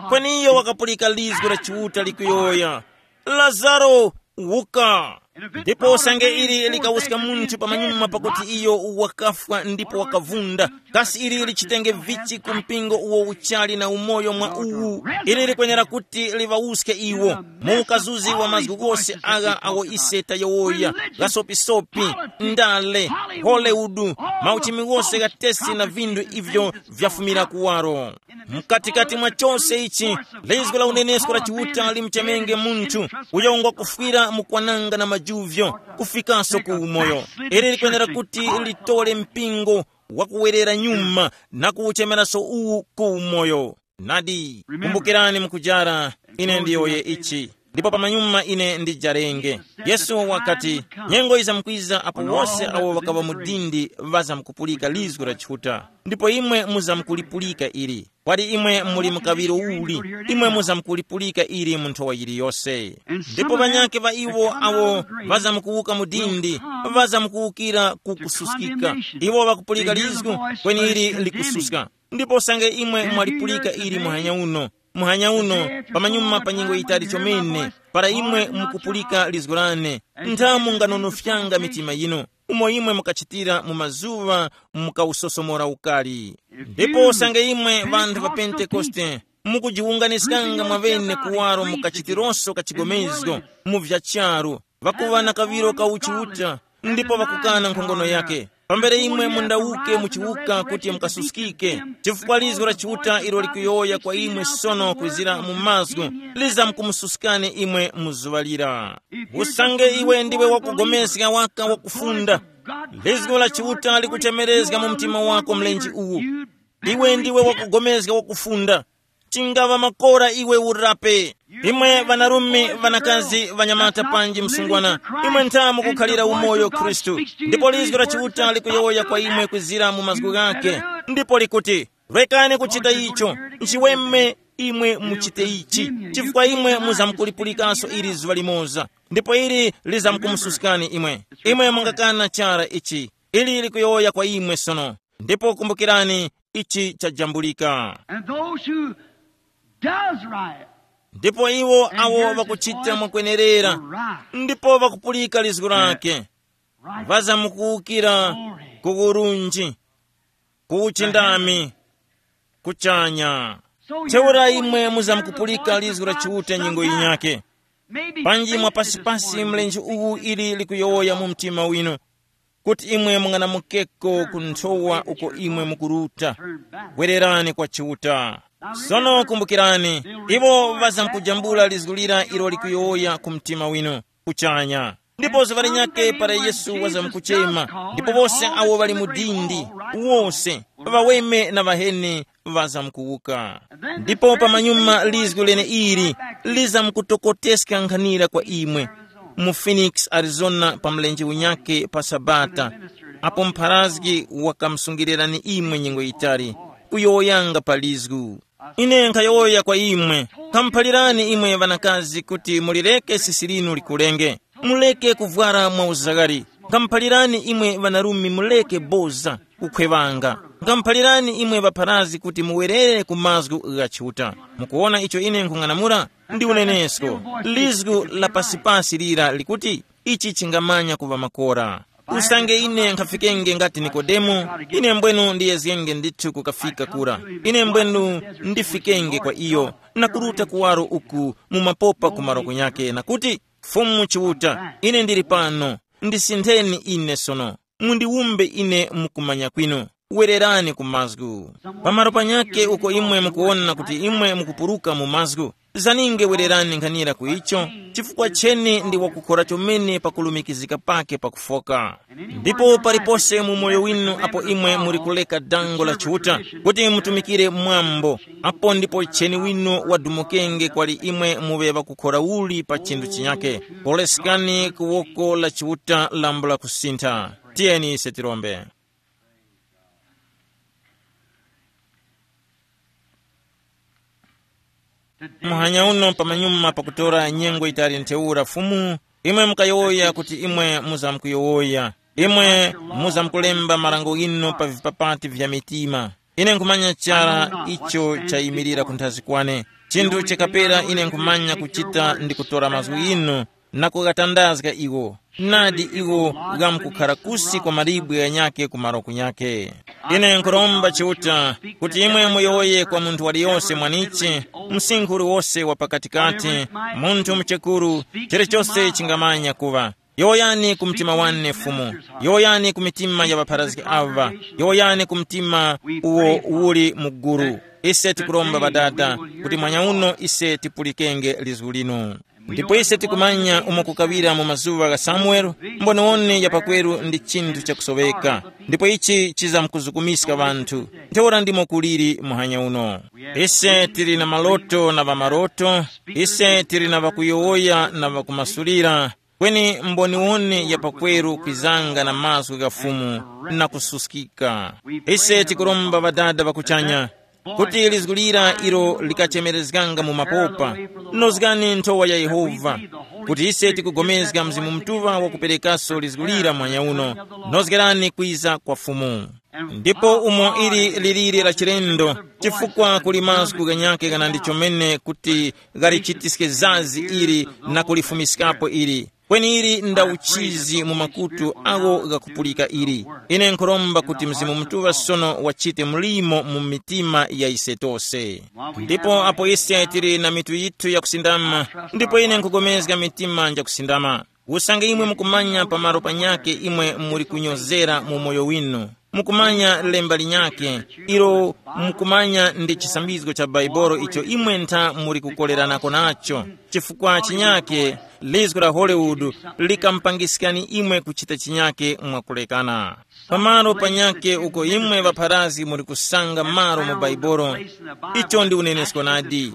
Kweni iyo wakapulika lizgu la Chiuta likuyowoya, "Lazaro, wuka!" Ndipo usange ili likawuska munthu pamanyuma pakuti iyo wakafwa ndipo wakavunda, kasi ili lichitenge vichi ku mpingo uwo uchali na umoyo mwa uwu? Ili likwenera kuti liŵawuske iwo mu ukazuzi wa mazgu ghose agha awo ise tayowoya, ghasopisopi, ndale, Hollywood, mauchimi ghose gha tesi na vinthu ivyo vyafumira kuwaro. Mkatikati mwa chose ichi, lizgu la unenesko la Chiuta limuchemenge munthu uyo ngwakufwira mu kwananga na majuvyo kufikaso ku umoyo. Ili likwenera kuti litole mpingo wakuwerera nyuma na kuwuchemeraso uwu ku umoyo. Nadi, kumbukirani mukujara, ine ndiyowoye ichi. Ndipo pamanyuma ine ndijarenge. Yesu wakati, nyengo yizamkwiza apo wose awo ŵakaŵa mu dindi ŵazamkupulika lizgu la Chiuta, ndipo imwe muzamkulipulika ili. Kwali imwe muli mu kaŵiro uli, imwe muzamkulipulika ili mu nthowa yiliyose. Ndipo ŵanyakhe ŵa iwo awo ŵazamkuwuka mu dindi, ŵazamkuwukira ku kususkika. Iwo ŵakupulika lizgu, kweni ili likususka. Ndipo usange imwe mwalipulika ili muhanya uno, muhanya uno, pamanyuma pa nyengo yitali chomene, para imwe mukupulika lizgu lane, ntha munganonofyanga mitima yinu, umo imwe mukachitira mu mazuŵa mukawusosomora ukali. Ndipo usange imwe ŵanthu ŵa Pentekoste mukujiwunganiskanga mwaŵene kuwaro mukachitironso kachigomezgo mu vya charu, ŵakuŵa na kaŵiro ka uchiuta, ndipo ŵakukana nkhongono yake. Pambere imwe mundawuke muchiwuka kuti mukasuskike, chifukwa lizgu la Chiuta ilo likuyowoya kwa imwe sono kwizira mu mazgu, lizamkumususkani imwe mu zuŵa lira. Usange iwe ndiwe wakugomeska waka wakufunda, lizgu la Chiuta likuchemerezga mu mtima wako mlenje uwu. Iwe ndiwe wakugomeska wakufunda. Chingaŵa makora iwe urape. Imwe ŵanarume, ŵanakazi, ŵanyamata panji msungwana, imwe ntha mukukhalira umoyo Khristu, ndipo lizgu la Chiuta likuyowoya kwa imwe kwizira mu mazgu ghake, ndipo likuti, rekani kuchita icho, nchiweme imwe muchite ichi, chifukwa imwe muzamkulipulikanso ili zuŵa limoza, ndipo ili lizamkumususkani imwe. Imwe mungakana chara ichi, ili likuyowoya kwa imwe sono. Ndipo kumbukirani, ichi chajambulika. And those who does right, ndipo iwo awo ŵakuchita mwakwenerera, ndipo ŵakupulika lizgu lake, ŵazamukuwukira ku urunji, ku uchindami, kuchanya. Ntheura imwe muzamkupulika lizgu la Chiuta nyengo yinyake. Panji mwapasipasi mlenje uwu ili likuyowoya mu mtima winu, kuti imwe munganamukeko ku nthowa uko imwe mukuruta. Wererani kwa Chiuta. Sono kumbukirani, iwo ŵazamkujambula lizgu lira ilo likuyowoya ku mtima winu kuchanya. Ndipo zuŵa linyakhe para Yesu wazamkuchema, ndipo wose awo ŵali mu dindi, wose, ŵaweme na ŵaheni, ŵazamkuwuka. Ndipo pamanyuma lizgu leneili lizamkutokoteska nkhanira kwa imwe, mu Phoenix, Arizona, pa mlenje unyakhe pa Sabata, apo mpharazgi wakamusungilirani imwe nyengo yitali, kuyowoyanga pa lizgu. Ine nkhayowoya kwa imwe, khamuphalirani imwe ŵanakazi kuti mulireke sisi linu likulenge, muleke kuvwara mwa uzaghali. Khamuphalirani imwe ŵanarume muleke boza, kukhweŵanga. Khamuphalirani imwe ŵapharazi kuti muwerere ku mazgu gha Chiuta. Mukuwona icho ine nkhung'anamula? Ndi unenesko, lizgu la pasipasi lira likuti, ichi chingamanya kuŵa makora. Usange ine nkhafikenge ngati Nikodemo, ine mbwenu ndiyezgenge ndithu kukafika kura. Ine mbwenu ndifikenge kwa iyo, na kuruta kuwaro uku mu mapopa ku maroko nyakhe, na kuti, Fumu Chiuta, ine ndili pano, ndisintheni ine sono, mundiwumbe ine mukumanya kwinu. Wererani ku mazgu. Pamalo panyakhe uko imwe mukuwona kuti imwe mukupuruka mu mazgu, zaninge wererani nkhanira ku icho, chifukwa cheni ndi wakukhora chomene pakulumikizika pake pakufoka. Ndipo palipose mu moyo winu apo imwe muli kuleka dango la Chiuta kuti mutumikire mwambo, apo ndipo cheni winu wadumukenge kwali imwe muŵe ŵakukhora uli pa chinthu chinyakhe. Koleskani ku woko la Chiuta lambula kusintha. Tiyeni ise tirombe. Muhanya uno pamanyuma pakutora nyengo yitali ntheura Fumu, imwe mukayowoya kuti imwe muzamkuyowoya. Imwe muzamkulemba marango ghinu pa vipapati vya mitima. Ine nkhumanya chara icho chayimirira kunthazi kwane. Chinthu chikapera ine nkhumanya kuchita ndi kutora mazgu ghinu na kughatandazga iwo. Nadi iwo ghamkukhara kusi kwa malibwe ghanyakhe ku maroku nyakhe. Ine nkhuromba Chiuta kuti imwe muyowoye kwa munthu waliyose mwanichi, msinkhu uliwose wa pakatikati, munthu muchekuru, chilichose chingamanya kuŵa. Yowoyani ku mtima wane Fumu, yowoyani ku mitima ya ŵapharazgi awa, yowoyani ku mtima uwo uli mu guru. Ise tikuromba Ŵadada kuti mwanya uno ise tipulikenge lizgu linu. Ndipo ise tikumanya umo kukaŵira mu mazuŵa gha Samuele, mboniwone ya pakweru ndi chinthu chakusoweka, ndipo ichi chizamkuzukumiska ŵanthu. Ntheura ndimo kuliri muhanya uno. Ise tili na maloto na ŵamaroto, ise tili na ŵakuyowoya na ŵakumasulira, kweni mboniwone ya pakweru kwizanga na mazgu gha Fumu na kususkika. Ise tikuromba Ŵadada ŵa kuchanya, kuti lizgu lira ilo likachemerezganga mu mapopa, nozgani nthowa ya Yehova, kuti ise tikugomezga Mzimu Mutuŵa wakuperekaso lizgu lira mwanya uno, nozgerani kwiza kwa Fumu. Ndipo umo ili liliri la chilendo, chifukwa kuli mazgu ghanyakhe ghanandi chomene kuti ghalichitiske zazi ili na kulifumiskapo ili. Kweni ili nda uchizi mu makutu agho ghakupulika ili. Ine nkhuromba kuti Mzimu Mutuŵa sono wachite mlimo mu mitima ya ise tose. Ndipo apo ise tili na mitu yithu yakusindama, ndipo ine nkhugomezga mitima njakusindama. Usange imwe mukumanya pamalo panyakhe imwe muli kunyozera mu moyo winu, mukumanya lemba linyakhe, ilo mukumanya ndi chisambizgo cha Baibolo icho imwe ntha muli kukoleranako nacho, chifukwa chinyakhe lizgu la Hollywood likamupangiskani imwe kuchita chinyakhe mwakulekana. Pamalo panyakhe uko imwe ŵapharazgi muli kusanga malo mu Baibolo, icho ndi unenesko nadi.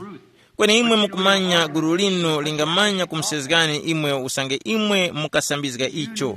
Kweni imwe mukumanya gulu linu lingamanya kumusezgani imwe usange imwe mukasambizga icho.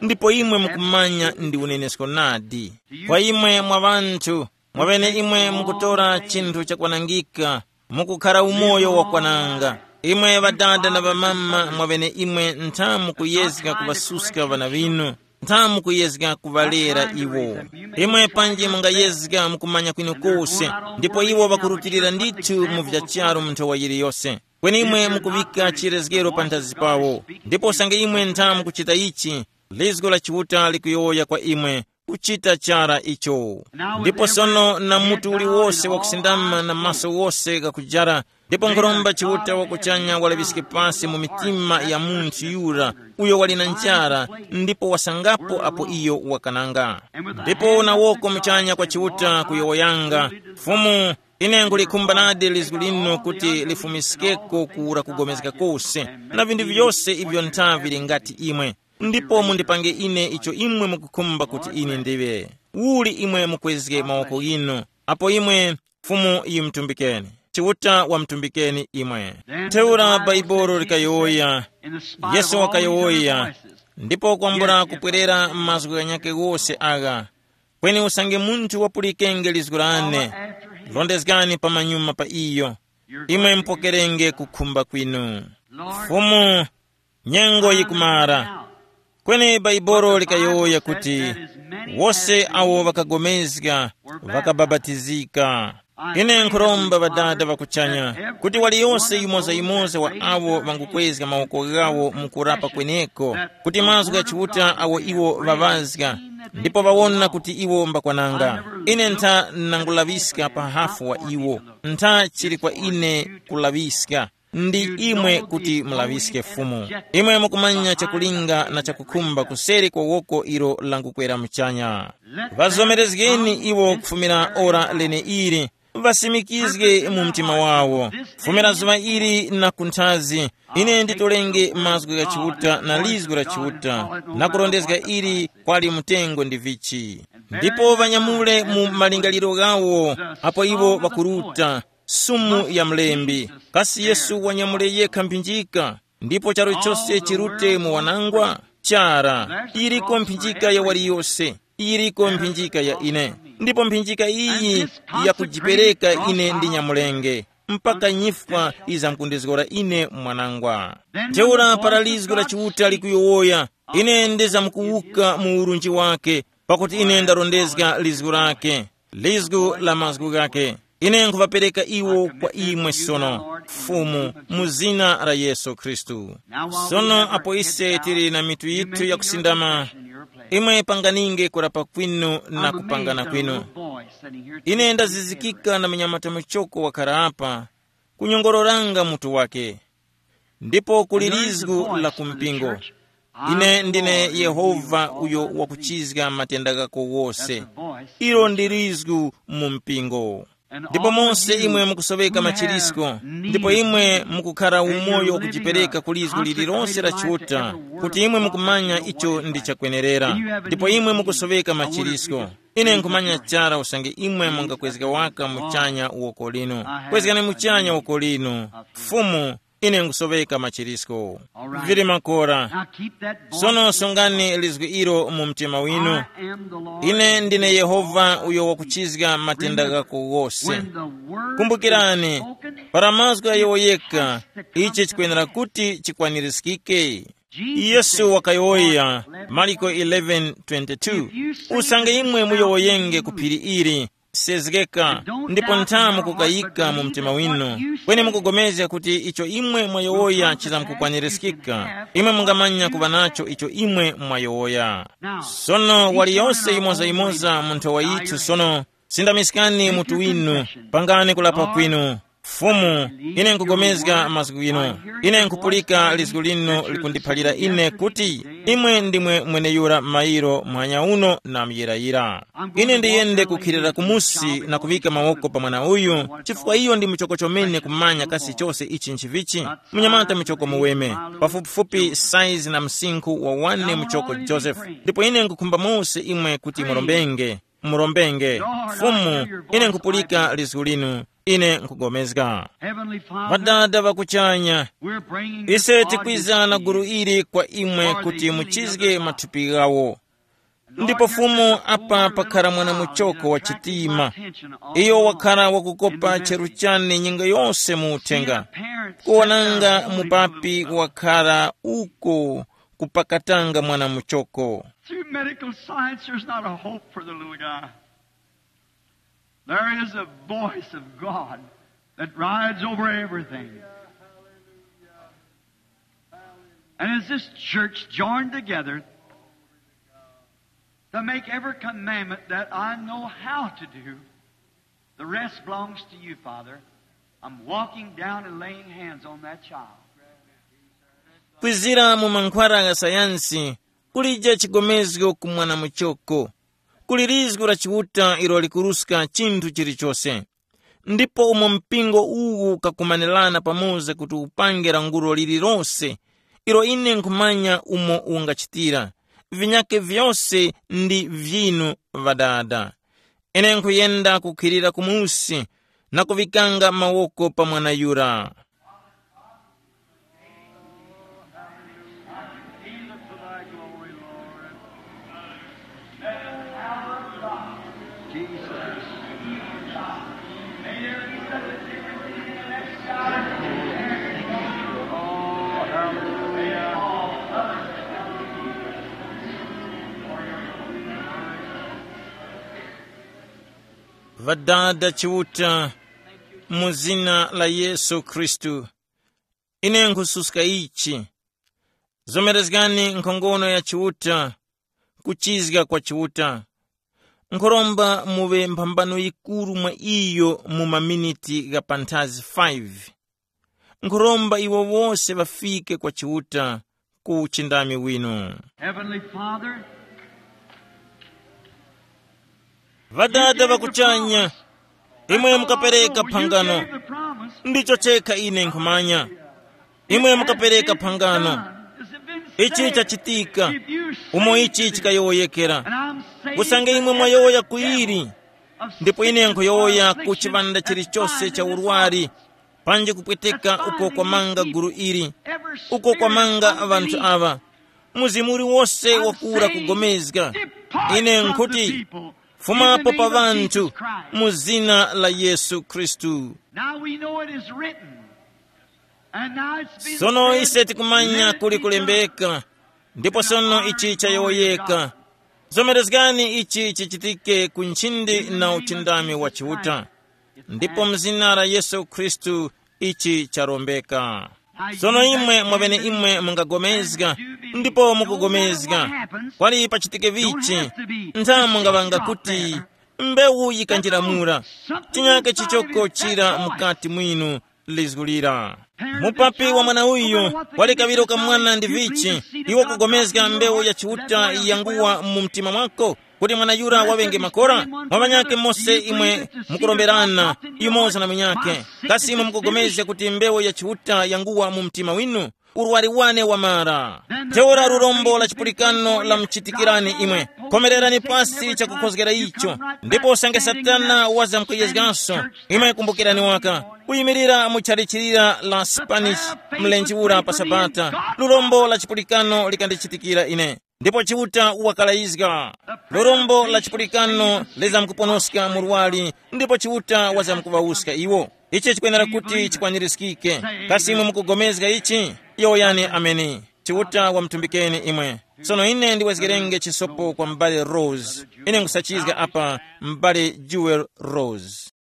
Ndipo imwe mukumanya ndi unenesko nadi. Kwa imwe mwa ŵanthu, mwaŵene imwe mukutora chinthu chakwanangika, mukukhara umoyo wakwananga. Imwe ŵadada na ŵamama mwaŵene imwe ntha mukuyezga kuŵasuska ŵana ŵinu, ntha mukuyezga kuŵalera iwo. Imwe panji mungayezga mukumanya kwinokose, ndipo iwo ŵakurutilira ndithu mu vya charu mu nthowa yiliyose. Kweni imwe mukuŵika chirezgero panthazi pawo. Ndipo usange imwe ntha mukuchita ichi, lizgo la Chiuta likuyowoya kwa imwe, kuchita chara icho. Ndipo sono na mutu uliwose wakusindama na maso wose ghakujara, ndipo nkhuromba Chiuta wakuchanya walaŵiske pasi mu mitima ya munthu yura uyo wali na njara, ndipo wasangapo apo iyo wakananga. Ndipo na woko muchanya kwa Chiuta kuyowoyanga, Fumu, Ine nkulikhumba nadi lizgu linu kuti lifumiskeko kura kugomezga kose, na vinthu vyose ivyo ntha vili ngati imwe. Ndipo mundipange ine icho imwe mukukhumba kuti ine ndiŵe. Uli imwe mukwezge mawoko ghinu, apo imwe Fumu yimtumbikeni. Chiuta wamtumbikeni imwe. Ntheura Baibolo likayowoya, Yesu wakayowoya, ndipo kwambula kupwerera mazgu ghanyakhe ghose agha. Kweni usange munthu wapulikenge lizgu lane, rondezgani pamanyuma pa iyo, imwe mupokerenge kukhumba kwinu. Fumu, nyengo yikumara. Kweni Baibolo likayowoya kuti, wose awo ŵakagomezga ŵakabapatizika. Ine nkhuromba Ŵadada ŵa kuchanya kuti waliyose yimoza-yimoza wa awo ŵangukwezga mawoko ghawo mu kurapa kweneko, kuti mazgu gha Chiuta awo iwo ŵaŵazga, ndipo ŵawona kuti iwo mbakwananga. Ine ntha nangulaŵiska pa hafu wa iwo, ntha chili kwa ine kulaŵiska. Ndi imwe kuti mulaŵiske Fumu. Imwe mukumanya chakulinga na chakukhumba kuseri kwa woko ilo langukwera muchanya. Ŵazomerezgeni iwo kufumira ora leneili, ŵasimikizge mu mtima wawo. Kufumira zuŵa ili na kunthazi, ine nditolenge mazgu gha Chiuta na lizgu la Chiuta, na kurondezga ili kwali mtengo ndi vichi. Ndipo ŵanyamule mu malingaliro ghawo, apo iwo ŵakuruta, sumu ya mlembi. Kasi Yesu wanyamule yekha mphinjika, ndipo charu chose chirute mu wanangwa? Chara, iriko mphinjika ya waliyose, iriko mphinjika ya ine. Ndipo mphinjika iyi yakujipereka ine ndi nyamulenge, mpaka nyifwa izamkundizgora ine mwanangwa. Ntheura para lizgu la Chiuta likuyowoya, ine ndizamkuwuka mu urunji wake, pakuti ine ndarondezga lizgu lake, lizgu la mazgu ghake. Ine nkhuŵapereka iwo kwa imwe sono, Fumu, mu zina la Yesu Khristu. Sono apo ise tili na mitu yithu yakusindama, imwe panganinge kurapa kwinu na kupangana kwinu. Ine ndazizikika na munyamata muchoko wakhara apa, kunyongororanga mutu wake. Ndipo kuli lizgu la ku mpingo. Ine ndine Yehova uyo wakuchizga matenda ghako wose. Ilo ndi lizgu mu mpingo. Ndipo monse imwe mukusoweka machirisko, ndipo imwe mukukhara umoyo wakujipereka ku lizgu lililonse la Chiuta, kuti imwe mukumanya icho ndi chakwenerera, ndipo imwe mukusoweka machirisko. Ine nkhumanya chara usange imwe mungakwezga waka muchanya woko linu. Kwezgani muchanya woko linu. Fumu, ine nkusoweka machirisko. Vili makora. Sono sungani lizgu ilo mu mtima winu. Ine ndine Yehova uyo wakuchizga matenda ghako ghose. Kumbukirani, para mazgu ayowoyeka, ichi chikwenera kuti chikwanirizgike. Yesu wakayowoya, Mariko eleven twenty-two, usange imwe muyowoyenge ku phiri ili, sezgeka, ndipo nthamu kukayika mu mtima winu, kweni mukugomezga kuti icho imwe mwayowoya chizamkukwanirizgika, imwe mungamanya kuŵa nacho icho imwe mwayowoya. Sono waliyose yimoza-yimoza mu nthowa yithu sono, sindamiskani mutu winu, pangani kulapa kwinu. Fumu, ine nkugomezga mazgu ghinu. Ine nkupulika lizgu linu likundiphalira ine kuti, imwe ndimwe mweneyura mairo muhanya uno na muyirayira. Ine ndiyende kukhilira kumusi na kuŵika mawoko pa mwana uyu, chifukwa iyo ndi muchoko chomene kumanya kasi chose ichi nchivichi. Munyamata muchoko muweme, pafupifupi saizi na msinkhu wa wane muchoko Joseph. Ndipo ine nkukhumba mose imwe kuti murombenge. Murombenge. Fumu, ine nkupulika lizgu linu, ine nkugomezga. Heavenly Father, Ŵadada ŵa kuchanya, we're bringing ise this tikwizana organization gulu ili kwa imwe kuti muchizge mathupi ghawo. Ndipo Fumu, apa pakhala mwana muchoko wa chitima, iyo wakhala wakukopa cheru chane nyengo yose mu uthenga, kuwonanga mupapi wakhala uko kupakatanga mwana muchoko. Through medical science, there's not a hope for the little guy. There is a voice of God that rides over everything. And as this church joined together to make every commandment that I know how to do, the rest belongs to you, Father. I'm walking down and laying hands on that child. Kwizira mu mankhwara gha sayansi, kulija chigomezgo ku mwana muchoko. Kuli lizgu la Chiuta ilo likuruska chinthu chilichose. Ndipo umo mpingo uwu ukakumanirana pamoza kuti upange lankhulo lililose, ilo ine nkhumanya umo ungachitira, vinyake vyose ndi vyinu, Ŵadada. Ine nkhuyenda kukhwirira kumusi na kuŵikanga mawoko pa mwana yura. Ŵadada Chiuta, mu zina la Yesu Khristu, ine nkhususka ichi. Zomerezgani nkhongono ya Chiuta, kuchizga kwa Chiuta. Nkhuromba muŵe mphambano yikuru mwa iyo mu maminiti gha panthazi five. Nkhuromba iwo wose ŵafike kwa Chiuta ku uchindami winu. Heavenly Father, Ŵadada ŵa kuchanya, imwe mukapereka phangano, ndicho chekha ine nkhumanya. Imwe mukapereka phangano. Ichi chachitika, umo ichi chikayowoyekera. Usange imwe mwayowoya kuyiri, ndipo ine nkhuyowoya ku chiŵanda chilichose cha urwari, panji kupweteka uko kwamanga gulu ili, uko kwamanga ŵanthu aŵa. Mzimu uliwose wakura kugomezga, ine nkhuti, fumapo pa ŵanthu, mu zina la Yesu Khristu. Now we know it is written. And now it's been Sono said, ise tikumanya let it kuli be kulembeka, ndipo sono ichi chayowoyeka. Zomerezgani ichi chichitike ku nchindi na uchindami wa Chiuta. Ndipo mzina la Yesu Khristu ichi charombeka. Sono imwe mwabene imwe mungagomezga, ndipo mukugomezga. Kwali pachitike vichi, ntha mungaŵanga kuti mbewu yikanjiramura, chinyake chichoko chira mukati mwinu lizgulira. Mupapi wa mwana uyu wali kaŵiro ka mwana ndi vichi, iwo kugomezga mbewu ya Chiuta yanguwa mu mtima mwako, kuti mwana yura waŵenge makora? Mwa ŵanyakhe mose imwe mukuromberana yumoza na munyakhe, kasi imwe mukugomezga kuti mbewu ya Chiuta yanguwa mu mtima winu? Urwari wane wamara. Ntheura lurombo la chipulikano lamchitikirani imwe. Khomererani pasi chakukhozgera icho, ndipo usange Satana wazamkuyezganso, imwe kumbukirani waka kuyimirira mu chalichirira la Spanish mlenje ura pa Sabata. Lurombo la chipulikano likandichitikira ine, ndipo Chiuta wakalayizga. Lurombo la chipulikano lizamkuponoska murwari, ndipo Chiuta wazamkuvawuska iwo. Ichi chikwenera kuti chikwanirizgike. Kasi imwe mukugomezga ichi? Yowoyani ameni. Chiuta wamutumbikeni imwe. Sono ine ndiwezgerenge chisopo kwa m'bale Rose. Ine nkusachizga apa, m'bale Jewel Rose.